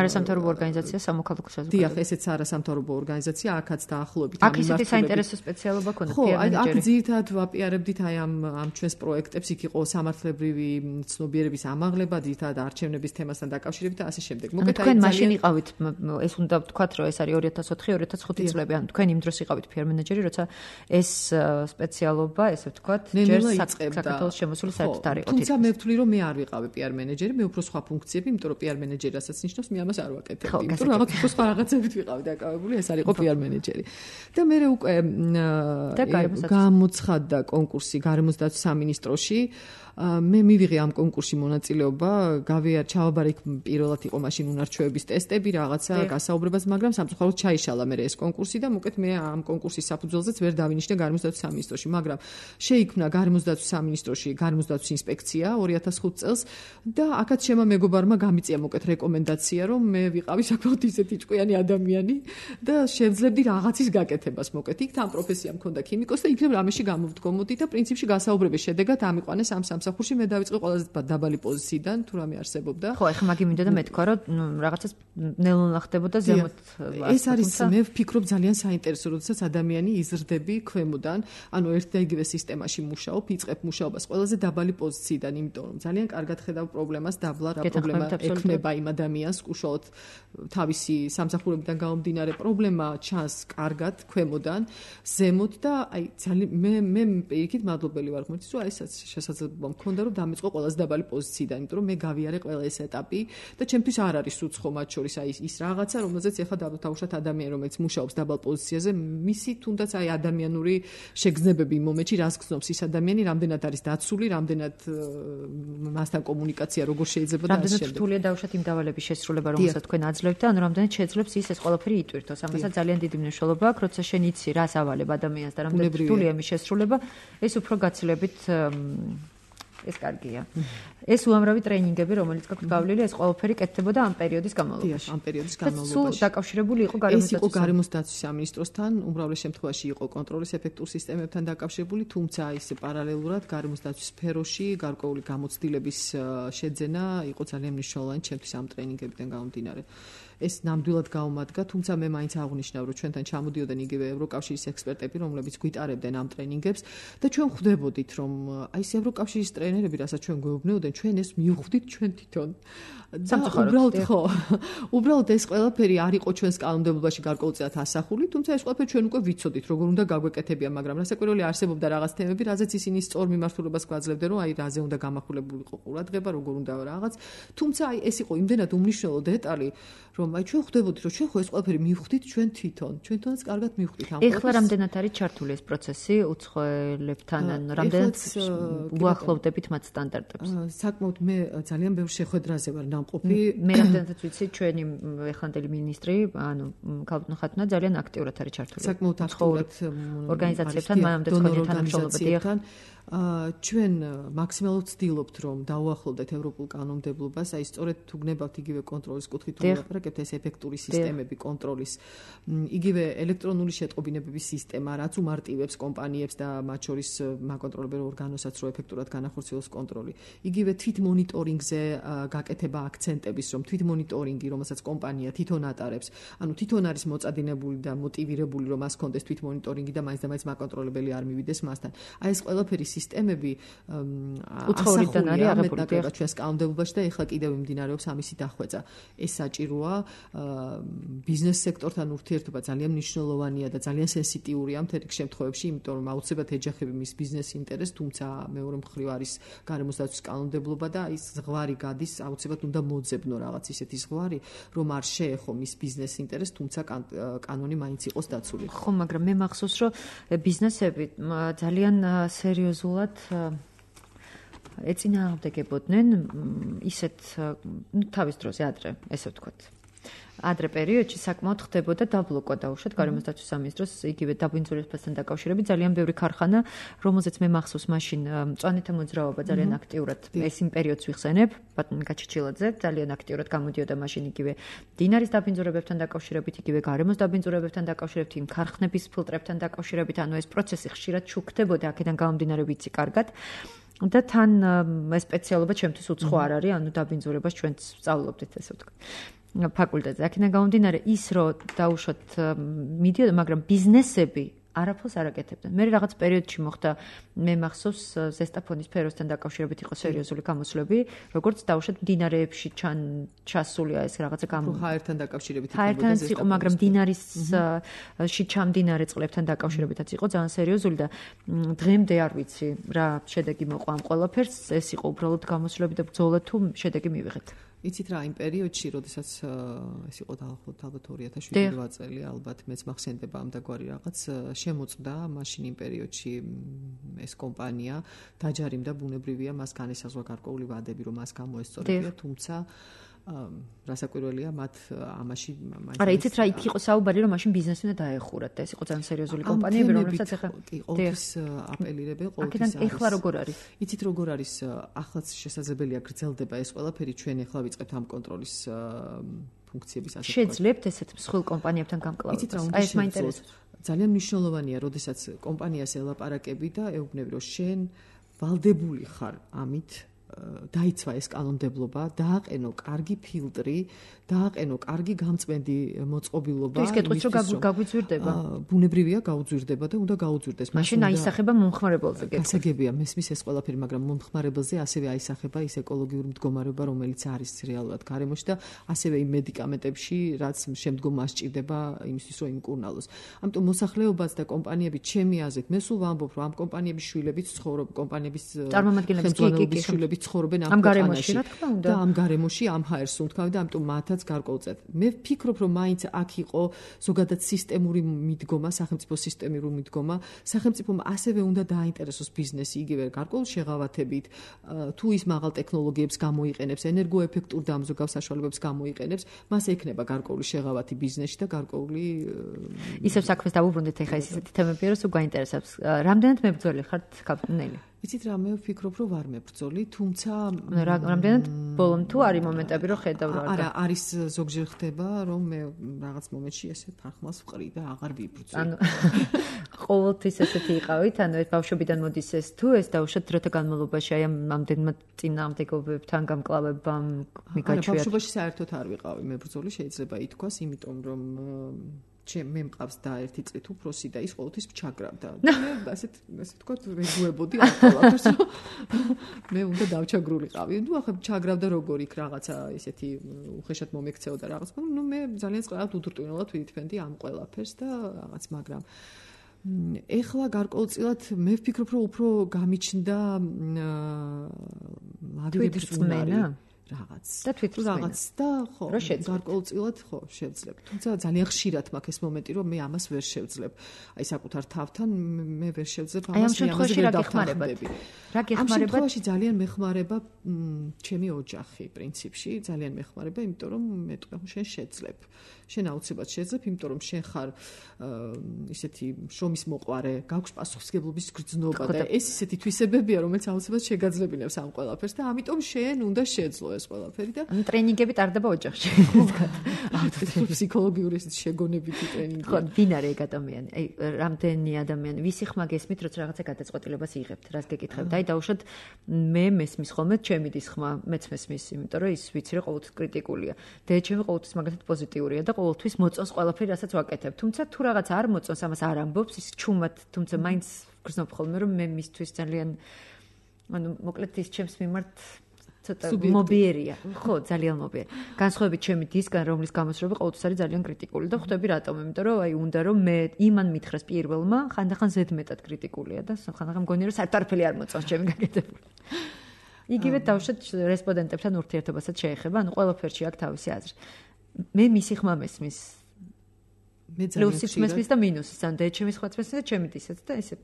არასამთავრობო ორგანიზაცია სამოქალაქო საზოგადოება. დიახ, ესეც არასამთავრობო ორგანიზაცია, აქაც დაახლოებით ამ მიმართულებით. აქ ისეთი საინტერესო სპეციალობა ქონდა პიარ მენეჯერი. ხო, აქ ძირითადად ვაპიარებდით აი ამ ამ ჩვენს პროექტებს, იქ იყო სამართლებრივი ცნობიერების ამაღლება, ძირითადად არჩევნების თემასთან დაკავშირებით და ასე შემდეგ. მოკეთ აი თქვენ მაშინ იყავით, ეს უნდა ვთქვათ, რომ ეს არის ორი ათას ოთხი ორი ათას ხუთი წლები, ანუ თქვენ იმ დროს იყავით პიარ მენეჯერი, როცა ეს სპეციალობა, ესე ვთქვათ, ჯერ საქართველოს შემოსული საერთოდ არ იყო. თუმცა მე ვთვლი, რომ მე არ ვიყავი პიარ მენეჯერი, მე უფრო სხვა ფუნქციები, იმიტომ რომ პიარ მენეჯერი რასაც ნიშნავს, მე ამას არ ვაკეთებდი. იმიტომ რომ რაღაც უფრო სხვა რაღაცებით ვიყავი დაკავებული, ეს არ იყო პიარ მენეჯერი. და მე უკვე გამოცხადდა კონკურსი გარემოსდაცვის სამინისტროში. მე მივიღე ამ კონკურსში მონაწილეობა, გავიარ ჩავაბარე იქ პირველად იყო მაშინ უნარჩვევების ტესტები, რაღაცა გასაუბრებაც, მაგრამ სამწუხაროდ ჩაიშალა მე ეს კონკურსი და მოკეთ მე ამ კონკურსის საფუძველზეც ვერ დავინიშნე გარემოსდაცვის სამინისტროში, მაგრამ შეიქმნა გარემოსდაცვის სამინისტროში გარემოსდაცვის ინსპექცია ორი ათას ხუთი წელს და აქაც შემა მეგობარმა გამიწია მოკეთ რეკომენდაცია, რომ მე ვიყავი საკმაოდ ისეთი ჭკვიანი ადამიანი და შევძლებდი რაღაცის გაკეთებას მოკეთ. იქ თან პროფესია მქონდა ქიმიკოსი და იქნებ რამეში გამოვდგომოდი და პრინციპში გასაუბრების შედეგად ამიყვანეს ამ სამსახურში მე დავიწყე ყველაზე დაბალი პოზიციიდან თუ რამე არსებობდა. ხო, ეხლა მაგი მინდოდა მეთქვა, რომ რაღაცას ნელ-ნელა ხდებოდა ზემოთ. ეს არის მე ვფიქრობ ძალიან საინტერესო, როდესაც ადამიანი იზრდები ქვემოდან, ანუ ერთ და იგივე სისტემაში მუშაობ, იწყებ მუშაობას ყველაზე დაბალი პოზიციიდან, იმიტომ რომ ძალიან კარგად ხედავ პრობლემას, დაბლა რა პრობლემა ექმნება იმ ადამიანს, უშუალოდ თავისი სამსახურებიდან გამომდინარე პრობლემა ჩანს კარგად ქვემოდან, ზემოთ და აი ძალიან მე მე პირიქით მადლობელი ვარ ღმერთის, რომ აი ესაც შესაძლებლობა მქონდა რომ დამეწყო ყველაზე დაბალი პოზიციიდან, იმიტომ რომ მე გავიარე ყველა ეს ეტაპი და ჩემთვის არ არის უცხო მათ შორის აი ის რაღაცა, რომელზეც ეხლა დავუშვათ ადამიანი, რომელიც მუშაობს დაბალ პოზიციაზე, მისი თუნდაც აი ადამიანური შეგრძნებები იმ მომენტში რას გრძნობს ის ადამიანი, რამდენად არის დაცული, რამდენად მასთან კომუნიკაცია როგორ შეიძლება და ასე შემდეგ. რამდენად რთულია დავუშვათ იმ დავალების შესრულება, რომელსაც თქვენ აძლევთ და ანუ რამდენად შეძლებს ის ეს ყველაფერი იტვირთოს. ამასაც ძალიან დიდი მნიშვნელობა აქვს, როცა შენ იცი რას ავალებ ადამიანს და რამდენად რთულია მის შესრულება, ეს უფრო გაცილებით ეს კარგია. ეს უამრავი ტრენინგები, რომელიც გაქვთ გავლილი, ეს ყველაფერი კეთდებოდა ამ პერიოდის განმავლობაში. ამ პერიოდის განმავლობაში. სულ დაკავშირებული იყო გარემოსდაცვის. ეს იყო გარემოსდაცვის სამინისტროსთან, უმრავლეს შემთხვევაში იყო კონტროლის ეფექტურ სისტემებთან დაკავშირებული, თუმცა ის პარალელურად გარემოსდაცვის სფეროში გარკვეული გამოცდილების შეძენა იყო ძალიან მნიშვნელოვანი ჩემთვის ამ ტრენინგებიდან გამომდინარე. ეს ნამდვილად გაუმადგა, თუმცა მე მაინც აღვნიშნავ, რომ ჩვენთან ჩამოდიოდნენ იგივე ევროკავშირის ექსპერტები, რომლებიც გვიტარებდნენ ამ ტრენინგებს და ჩვენ ხვდებოდით, რომ აი ეს ევროკავშირის ტრენერები, რასაც ჩვენ გვეუბნებოდნენ, ჩვენ ეს მივხვდით ჩვენ თვითონ. და უბრალოდ ხო, უბრალოდ ეს ყველაფერი არ იყო ჩვენს კანონმდებლობაში გარკვეულწილად ასახული, თუმცა ეს ყველაფერი ჩვენ უკვე ვიცოდით, როგორ უნდა გაგვეკეთებია, მაგრამ რასაკვირველია არსებობდა რაღაც თემები, რაზეც ისინი სწორ მიმართულებას გვაძლევდნენ, რომ აი რაზე უნდა გამახვილებულიყო ყურადღება, როგორ უნდა რაღაც. თუმცა აი ეს იყო იმდენად უმნიშვნელო დეტალი, რომ აი ჩვენ ხვდებოდით, რომ ჩვენ ხო ეს ყველაფერი მივხვდით ჩვენ თვითონ, ჩვენ თვითონაც კარგად მივხვდით ამ ყველაფერს. ეხლა რამდენად არის ჩართული ეს პროცესი უცხოელებთან, ან რამდენად უახლოვდებით მათ სტანდარტებს? საკმაოდ მე ძალიან ბევრ შეხვედრაზე ვარ ნამყოფი. მე რამდენადაც ვიცი, ჩვენი ეხლანდელი მინისტრი, ანუ ქალბატონ ხათუნა ძალიან აქტიურად არის ჩართული. საკმაოდ აქტიურად ორგანიზაციებთან, მანამდე თქვენი თანამშრომლობა დიახ. ჩვენ მაქსიმალურად ვცდილობთ, რომ დაუახლოვდეთ ევროპულ კანონმდებლობას, აი სწორედ თუ გნებავთ იგივე კონტროლის კუთხით თუ ვლაპარაკებთ, ეს ეფექტური სისტემები კონტროლის, იგივე ელექტრონული შეტყობინებების სისტემა, რაც უმარტივებს კომპანიებს და მათ შორის მაკონტროლებელ ორგანოსაც, რომ ეფექტურად განახორციელოს კონტროლი. იგივე თვით მონიტორინგზე გაკეთება აქცენტების, რომ თვით მონიტორინგი, რომელსაც კომპანია თვითონ ატარებს, ანუ თვითონ არის მოწადინებული და მოტივირებული, რომ მას კონდეს თვით მონიტორინგი და მაინც და მაინც მაკონტროლებელი არ მივიდეს მასთან. აი ეს ყველაფერი სისტემები უცხოურიდან არის აღებული ჩვენს კანონმდებლობაში და ეხლა კიდევ მიმდინარეობს ამისი დახვეწა. ეს საჭიროა, ბიზნეს სექტორთან ურთიერთობა ძალიან მნიშვნელოვანია და ძალიან სენსიტიურია მთელ რიგ შემთხვევებში, იმიტომ რომ აუცილებლად ეჯახება მის ბიზნეს ინტერესს, თუმცა მეორე მხრივ არის გარემოს დაცვის კანონმდებლობა და ის ზღვარი გადის, აუცილებლად უნდა მოძებნო რაღაც ისეთი ზღვარი, რომ არ შეეხო მის ბიზნეს ინტერესს, თუმცა კანონი მაინც იყოს დაცული. ხო, მაგრამ მე მახსოვს, რომ ბიზნესები ძალიან სერიოზულად ეწინააღმდეგებოდნენ ისეთ თავის დროზე ადრე, ესე ვთქვათ. ადრე პერიოდში საკმაოდ ხდებოდა დაბლოკვა დაუშვათ გარემოს დაცვის სამინისტროს იგივე დაბინძურებასთან დაკავშირებით ძალიან ბევრი ქარხანა, რომელზეც მე მახსოვს მაშინ მწვანეთა მოძრაობა ძალიან აქტიურად ეს იმ პერიოდს ვიხსენებ, ბატონ გაჩიჩილაძე ძალიან აქტიურად გამოდიოდა მაშინ იგივე დინარის დაბინძურებებთან დაკავშირებით, იგივე გარემოს დაბინძურებებთან დაკავშირებით, იმ ქარხნების ფილტრებთან დაკავშირებით, ანუ ეს პროცესი ხშირად შუქდებოდა, აქედან გამომდინარე ვიცი კარგად. და თან ეს სპეციალობა ჩემთვის უცხო არ არის, ანუ დაბინძურებას ჩვენც სწავლობდით, ესე ვთქვათ. ფაკულტეტზე. აქედან გამომდინარე ის, რომ დაუშვათ მიდიოდა, მაგრამ ბიზნესები არაფერს არ აკეთებდნენ. მე რაღაც პერიოდში მოხდა, მე მახსოვს ზესტაფონის სფეროსთან დაკავშირებით იყო სერიოზული გამოსვლები, როგორც დაუშვათ მდინარეებში ჩან ჩასულია ეს რაღაცა გამო. ჰაერთან დაკავშირებით იქნებოდა ზესტაფონის. იყო, მაგრამ დინარისში ჩამდინარე წყლებთან დაკავშირებითაც იყო ძალიან სერიოზული და დღემდე არ ვიცი რა შედეგი მოყვა ამ ყველაფერს. ეს იყო უბრალოდ გამოსვლები და ბრძოლა თუ შედეგი მივიღეთ. იცით რა, იმ პერიოდში, როდესაც ეს იყო დაახლოებით ალბათ ორი ათას შვიდი წელი, ალბათ მეც მახსენდება ამ დაგვარი რაღაც, შემოწდა მაშინ იმ პერიოდში ეს კომპანია, დაჯარიმდა, ბუნებრივია, მას განესაზღვრა გარკვეული ვადები, რომ მას გამოესწორებია, თუმცა რასაკვირველია, მათ ამაში არა, იცით რა, იქ იყო საუბარი, რომ მაშინ ბიზნესი უნდა დაეხურათ და ეს იყო ძალიან სერიოზული კომპანიები, რომლებსაც ახლა ყოველთვის აპელირებენ, ყოველთვის არის. ეხლა როგორ არის? იცით როგორ არის, ახლაც შესაძლებელია გრძელდება ეს ყველაფერი, ჩვენ ეხლა ვიწყებთ ამ კონტროლის ფუნქციების ასეთ. შეძლებთ ესეთ მსხვილ კომპანიებთან გამკლავებას. აი ეს მაინტერესებს. ძალიან მნიშვნელოვანია, როდესაც კომპანიას ელაპარაკები და ეუბნები, რომ შენ ვალდებული ხარ ამით დაიცვა ეს კანონმდებლობა, დააყენო კარგი ფილტრი, დააყენო კარგი გამწმენდი მოწყობილობა. ის კეთვის რომ გაგვიძვირდება. ბუნებრივია გაუძვირდება და უნდა გაუძვირდეს. მაშინ აისახება მომხმარებელზე. გასაგებია მესმის ეს ყველაფერი, მაგრამ მომხმარებელზე ასევე აისახება ის ეკოლოგიური მდგომარეობა, რომელიც არის რეალურად გარემოში და ასევე იმ მედიკამენტებში, რაც შემდგომ მას სჭირდება იმისთვის, რომ იმკურნალოს. ამიტომ მოსახლეობაც და კომპანიები ჩემი აზრით, მე სულ ვამბობ, რომ ამ კომპანიების შვილებიც ცხოვრობენ, კომპანიების წარმომადგენლების შვილებიც ცხოვრობენ ამ გარემოში, რა თქმა უნდა. და ამ გარემოში ამ ჰაერს უნთქავენ და ამიტომ მათაც გარკვეულწილად. მე ვფიქრობ, რომ მაინც აქ იყო ზოგადად სისტემური მიდგომა, სახელმწიფო სისტემური მიდგომა, სახელმწიფომ ასევე უნდა დააინტერესოს ბიზნესი, იგივე გარკვეულ შეღავათებით, თუ ის მაღალ ტექნოლოგიებს გამოიყენებს, ენერგოეფექტურ დამზოგავ საშუალებებს გამოიყენებს, მას ექნება გარკვეული შეღავათი ბიზნესში და გარკვეული ისევ საქმეს დავუბრუნდით ახლა ეს ისეთი თემებია, რომ სულ გაინტერესებს. რამდენად მებრძოლი ხართ, ქალბატონელი? იცით რა მე ვფიქრობ რომ ვარ მებრძოლი, თუმცა რამდენად ბოლომ თუ არის მომენტები რომ ხედავ რა. არა, არის ზოგჯერ ხდება რომ მე რაღაც მომენტში ესე ფარხმას ვყრი და აღარ ვიბრძვი. ანუ ყოველთვის ესეთი იყავით, ანუ ეს ბავშვობიდან მოდის ეს თუ ეს დაუშვათ დროთა განმავლობაში აი ამ ამდენმა წინააღმდეგობებთან გამკლავებამ მიგაჩვია. არა, ბავშვობაში საერთოდ არ ვიყავი მებრძოლი, შეიძლება ითქვას, იმიტომ რომ ჩემ მე მყავს და ერთი წლით უფროსი და ის ყოველთვის ჩაგრავდა. მე ასეთ ასე თქვა რეგუებოდი ამ ყველაფერს. მე უნდა დავჩაგრულიყავი. ნუ ახლა ჩაგრავდა როგორ იქ რაღაცა ესეთი უხეშად მომექცეოდა რაღაც. ნუ მე ძალიან წყალად უდრტვინულად ვიტფენდი ამ ყველაფერს და რაღაც, მაგრამ ეხლა გარკვეულწილად მე ვფიქრობ რომ უფრო გამიჩნდა მაგრების წმენა რაღაც და თვითრწმენა რაღაც და ხო გარკვეულწილად ხო შევძლებ. თუმცა ძალიან ხშირად მაქვს ეს მომენტი რომ მე ამას ვერ შევძლებ. აი საკუთარ თავთან მე ვერ შევძლებ ამას მე ამაზე ვერ დავხმარებები. რა გეხმარებათ? ამ შემთხვევაში ძალიან მეხმარება ჩემი ოჯახი პრინციპში, ძალიან მეხმარება, იმიტომ რომ მე თქვა შენ შეძლებ. შენ აუცილებლად შეძლებ, იმიტომ რომ შენ ხარ ისეთი შრომის მოყვარე, გაქვს პასუხისმგებლობის გრძნობა და ეს ისეთი თვისებებია, რომელიც აუცილებლად შეგაძლებინებს ამ ყველაფერს და ამიტომ შენ უნდა შეძლო ეს ყველაფერი და ანუ ტრენინგები ტარდება ოჯახში. ფსიქოლოგიური ესეთი შეგონებითი ტრენინგი. ხო, ვინ არის ეგ ადამიანი? აი, რამდენი ადამიანი, ვისი ხმა გესმით, როცა რაღაცა გადაწყვეტილებას იღებთ, რას გეკითხებთ? აი, დაუშვათ მე მესმის ხოლმე ჩემი დის ხმა, მეც მესმის, იმიტომ რომ ის ვიცი რომ ყოველთვის კრიტიკულია. და ჩემი ყოველთვის მაგათად პოზიტიურია და ყოველთვის მოწონს ყველაფერი, რასაც ვაკეთებ. თუმცა თუ რაღაც არ მოწონს, ამას არ ამბობს, ის ჩუმად, თუმცა მაინც გრძნობ ხოლმე რომ მე მისთვის ძალიან ანუ მოკლედ ის ჩემს მიმართ ცოტა მობიერია. ხო, ძალიან მობიერი. განსხვავებით ჩემი დისგან, რომლის გამოსრობა ყოველთვის არის ძალიან კრიტიკული და ხვდები რატომ? იმიტომ რომ აი უნდა რომ მე იმან მითხრას პირველმა, ხანდახან ზედმეტად კრიტიკულია და ხანდახან მგონია რომ საერთოდ არაფერი არ მოწონს ჩემი გაკეთებული. იგივე დავუშვათ რესპონდენტებთან ურთიერთობასაც შეეხება, ანუ ყველაფერში აქვს თავისი აზრი. მე მისი ხმა მესმის. მე ძალიან პლუსიც მესმის და მინუსიც, ან და ჩემი ხმაც მესმის და ჩემი დისაც და ესე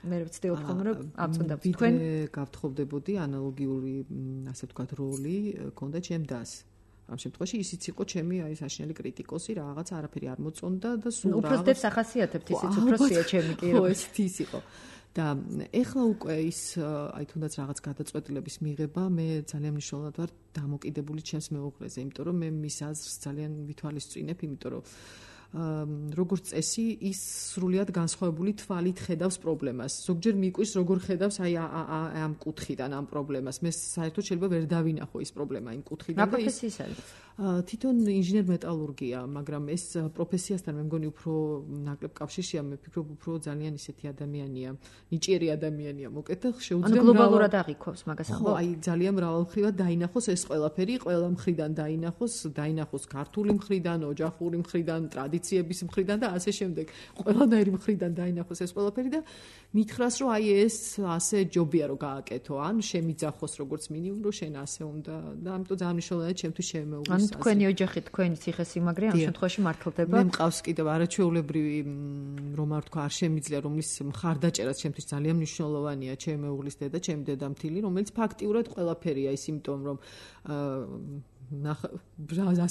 მე ვცდილობ ხოლმე რომ აწონდა თქვენ გავთხოვდებოდი ანალოგიური ასე ვთქვათ როლი კონდა ჩემ დას. ამ შემთხვევაში ისიც იყო ჩემი აი საშინელი კრიტიკოსი, რაღაც არაფერი არ მოწონდა და სულ რაღაც უფრო დებს ახასიათებთ ისიც უფროსია ჩემი კი რო ეს ის იყო. და ეხლა უკვე ის აი თუნდაც რაღაც გადაწყვეტილების მიღება მე ძალიან მნიშვნელოვნად ვარ დამოკიდებული ჩემს მეუღლეზე, იმიტომ რომ მე მის აზრს ძალიან ვითვალისწინებ, იმიტომ რომ როგორც წესი ის სრულიად განსხვავებული თვალით ხედავს პრობლემას. ზოგჯერ მიკვირს როგორ ხედავს აი ამ კუთხიდან ამ პრობლემას. მე საერთოდ შეიძლება ვერ დავინახო ის პრობლემა იმ კუთხიდან და ის თვითონ ინჟინერ-მეტალურგია, მაგრამ ეს პროფესიასთან მე მგონი უფრო ნაკლებ კავშირშია, მე ვფიქრობ უფრო ძალიან ისეთი ადამიანია, ნიჭიერი ადამიანია, მოკლედ და შეუძლია ანუ გლობალურად აღიქოს მაგას ამბობ. ხო, აი ძალიან მრავალმხრივად დაინახოს ეს ყველაფერი, ყველა მხრიდან დაინახოს, დაინახოს ქართული მხრიდან, ოჯახური მხრიდან, ტრადიციების მხრიდან და ასე შემდეგ. ყველანაირი მხრიდან დაინახოს ეს ყველაფერი და მითხრას რომ აი ეს ასე ჯობია რომ გააკეთო, ან შემიძახოს როგორც მინიმუმ რომ შენ ასე უნდა და ამიტომ ძალიან მნიშვნელოვანია ჩემთვის შემეუღლის თქვენი ოჯახი, თქვენი ციხესიმაგრე ამ შემთხვევაში მართლდება. მე მყავს კიდევ არაჩვეულებრივი რომ არ თქვა არ შემიძლია, რომლის მხარდაჭერაც ჩემთვის ძალიან მნიშვნელოვანია, ჩემი მეუღლის დედა, ჩემი დედამთილი, რომელიც ფაქტიურად ყველაფერია ის იმიტომ რომ ნახა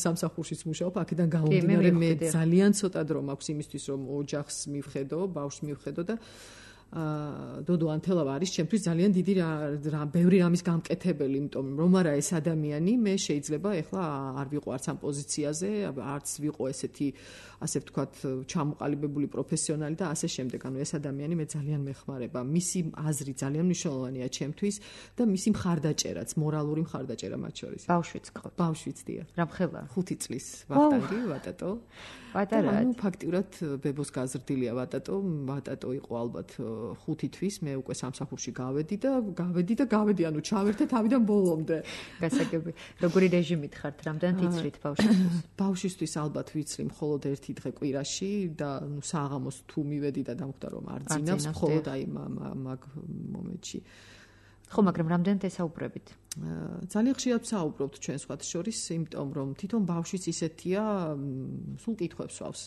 სამსახურშიც მუშაობ, აქედან გამომდინარე მე ძალიან ცოტა დრო მაქვს იმისთვის რომ ოჯახს მივხედო, ბავშვს მივხედო და აა დოდო ანთელავა არის ჩემთვის ძალიან დიდი რა ბევრი რამის გამკეთებელი, იმიტომ რომ არა ეს ადამიანი მე შეიძლება ეხლა არ ვიყო არც ამ პოზიციაზე, არც ვიყო ესეთი ასე ვთქვათ ჩამოყალიბებული პროფესიონალი და ასე შემდეგ. ანუ ეს ადამიანი მე ძალიან მეხმარება. მისი აზრი ძალიან მნიშვნელოვანია ჩემთვის და მისი მხარდაჭერაც, მორალური მხარდაჭერა მათ შორის. ბავშვიც ყავ. ბავშვიც დია. რა მხელა? ხუთი წლის ვახტანგი, ვატატო. პატარაა. ანუ ფაქტიურად ბებოს გაზრდილია ვატატო, ვატატო იყო ალბათ ხუთი თვის, მე უკვე სამსახურში გავედი და გავედი და გავედი, ანუ ჩავერთე თავიდან ბოლომდე. გასაგები. როგორი რეჟიმით ხართ? რამდენად იცრით ბავშვისთვის? ბავშვისთვის ალბათ ვიცრი მხოლოდ ერთი დღე კვირაში და ნუ საღამოს თუ მივედი და დამხვდა რომ არ ძინავს, მხოლოდ აი მაგ მომენტში. ხო, მაგრამ რამდენად ესაუბრებით? ძალიან ხშირად საუბრობთ ჩვენ სხვათა შორის, იმიტომ რომ თვითონ ბავშვიც ისეთია, სულ კითხვებს ვავს.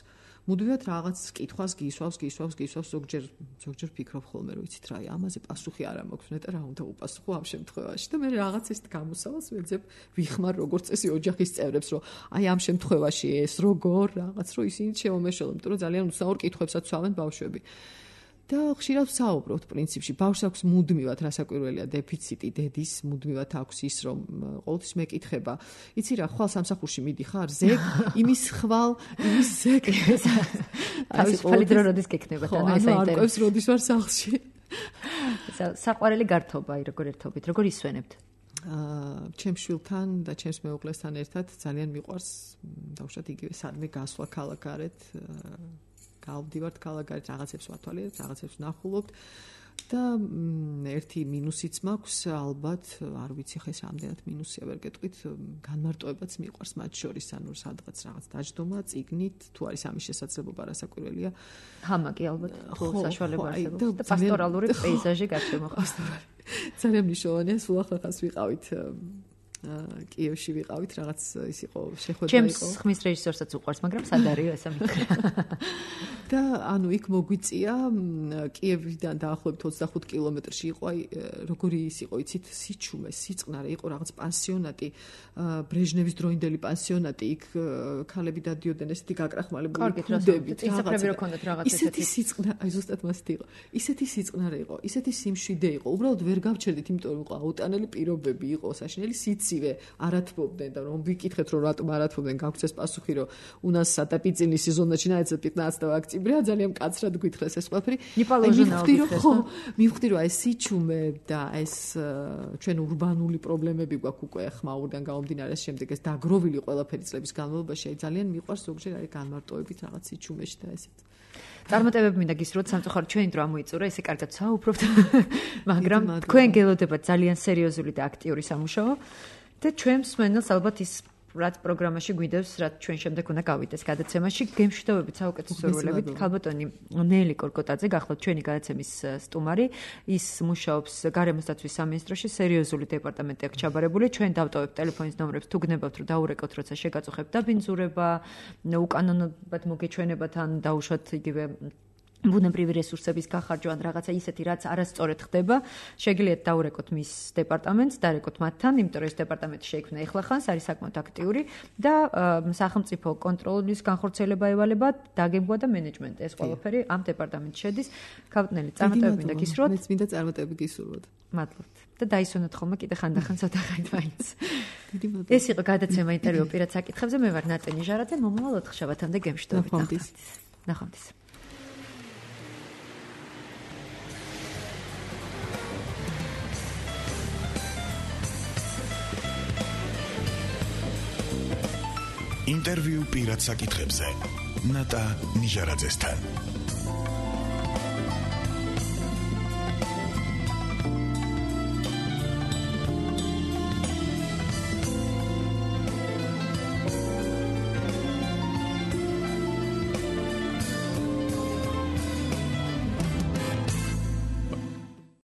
მუდმივად რაღაც კითხვას გისვავს, გისვავს, გისვავს, ზოგჯერ ზოგჯერ ფიქრობ ხოლმე რომ იცით რა, ამაზე პასუხი არ მაქვს, ნეტა რა უნდა უპასუხო ამ შემთხვევაში და მე რაღაც ეს გამოსავალს ვეძებ, ვიხმარ როგორც წესი ოჯახის წევრებს, რომ აი ამ შემთხვევაში ეს როგორ რაღაც რომ ისინი შემომეშველონ, იმიტომ რომ ძალიან უცნაურ კითხვებსაც ვსვამენ ბავშვები. და ხშირად ვსაუბრობთ პრინციპში ბავშვს აქვს მუდმივად რასაკვირველია დეფიციტი დედის მუდმივად აქვს ის რომ ყოველთვის მეკითხება იცი რა ხვალ სამსახურში მიდიხარ ზეგ იმის ხვალ იმის ზეგ თავისუფალი დრო როდის გექნება და ანუ ეს საინტერესო არკვევს როდის ვარ სახლში საყვარელი გართობა აი როგორ ერთობით როგორ ისვენებთ აა ჩემს შვილთან და ჩემს მეუღლესთან ერთად ძალიან მიყვარს დავუშვათ იგივე სადმე გასვლა ქალაქარეთ გავდივართ ქალაქარეთ რაღაცებს ვათვალიერებთ რაღაცებს ვნახულობთ და ერთი მინუსიც მაქვს ალბათ არ ვიცი ხეს რამდენად მინუსია ვერ გეტყვით განმარტოებაც მიყვარს მათ შორის ანუ სადღაც რაღაც დაждდომა წიგნით თუ არის ამის შესაძლებლობა რასაკვირველია ჰამაკი ალბათ ხო საშუალება არსებობს და პასტორალური პეიზაჟი გარშემოხდა ძალიან მნიშვნელოვანია სულ ახლა ვიყავით კიევში ვიყავით რაღაც ის იყო შეხვედრა იყო ჩემს ხმის რეჟისორსაც უყვარს მაგრამ სად არისო ესა მითხრა და ანუ იქ მოგვიწია კიევიდან დაახლოებით ოცდახუთ კილომეტრში იყო აი როგორი ის იყო იცით სიჩუმე სიწყნარე იყო რაღაც პანსიონატი ბრეჟნევის დროინდელი პანსიონატი იქ ქალები დადიოდნენ ესეთი გაკრახმალებული ქუდებით ისაფრები რო ქონდათ რაღაც ესეთი სიწყნარე აი ზუსტად მასეთი იყო ისეთი სიწყნარე იყო ისეთი სიმშვიდე იყო უბრალოდ ვერ გავჩერდით იმიტომ რომ იყო აუტანელი პირობები იყო საშინელი სიცივე არათბობდნენ და რომ ვიკითხეთ რომ რატომ არათბობდნენ გაგვცეს პასუხი რომ у нас сатапицильный сезон начинается пятнадцатого октября ძალიან კაცრად გვითხრეს ეს ყველაფერი მივხვდი რომ ხო მივხვდი რომ ეს სიჩუმე და ეს ჩვენ урბანული პრობლემები გვაქვს უკვე ხმაურიდან გამომდინარე შემდეგ ეს დაგროვილი ყველაფერი წლების განმავლობაში ძალიან მიყვარს ზოგჯერ არის განმარტოებით რაღაც სიჩუმეში და ესეთ წარმატებები მინდა გისურვოთ სამწუხაროდ ჩვენი დრო ამოიწურა ესე კარგად საუბრობთ მაგრამ თქვენ გელოდებათ ძალიან სერიოზული და აქტიური სამუშაო და ჩვენ მსმენელს ალბათ ის რაც პროგრამაში გვიდევს, რაც ჩვენ შემდეგ უნდა გავიდეს გადაცემაში, გემშვიდობებით საუკეთესო სურვილებით. ქალბატონი ნელი კორკოტაძე გახლავთ ჩვენი გადაცემის სტუმარი. ის მუშაობს გარემოსდაცვის სამინისტროში, სერიოზული დეპარტამენტი აქვს ჩაბარებული. ჩვენ დავტოვებთ ტელეფონის ნომრებს, თუ გნებავთ, რომ დაურეკოთ, როცა შეგაწუხებთ დაბინძურება, უკანონოდ მოგეჩვენებათ ან დაუშვათ იგივე ბუნებრივი რესურსების გახარჯვა ან რაღაცა ისეთი რაც არასწორად ხდება, შეგიძლიათ დაურეკოთ მის დეპარტამენტს, დარეკოთ მათთან, იმიტომ რომ ეს დეპარტამენტი შეიქმნა ეხლახანს, არის საკმაოდ აქტიური და სახელმწიფო კონტროლის განხორციელება ევალება, დაგეგმვა და მენეჯმენტი ეს ყველაფერი ამ დეპარტამენტში შედის. ქალბატონი, წარმატებები მინდა გისურვოთ. მეც მინდა წარმატებები გისურვოთ. მადლობთ. და დაისვენოთ ხოლმე კიდე ხანდახან ცოტა ხანი მაინც. ეს იყო გადაცემა ინტერვიუ პირად საკითხებზე. მე ვარ ნატენი ჟარაძე, მომავალ ოთხშაბათამდე გემშვიდობით. ნახვამდის. ინტერვიუ პირად საკითხებზე ნატა ნიჟარაძესთან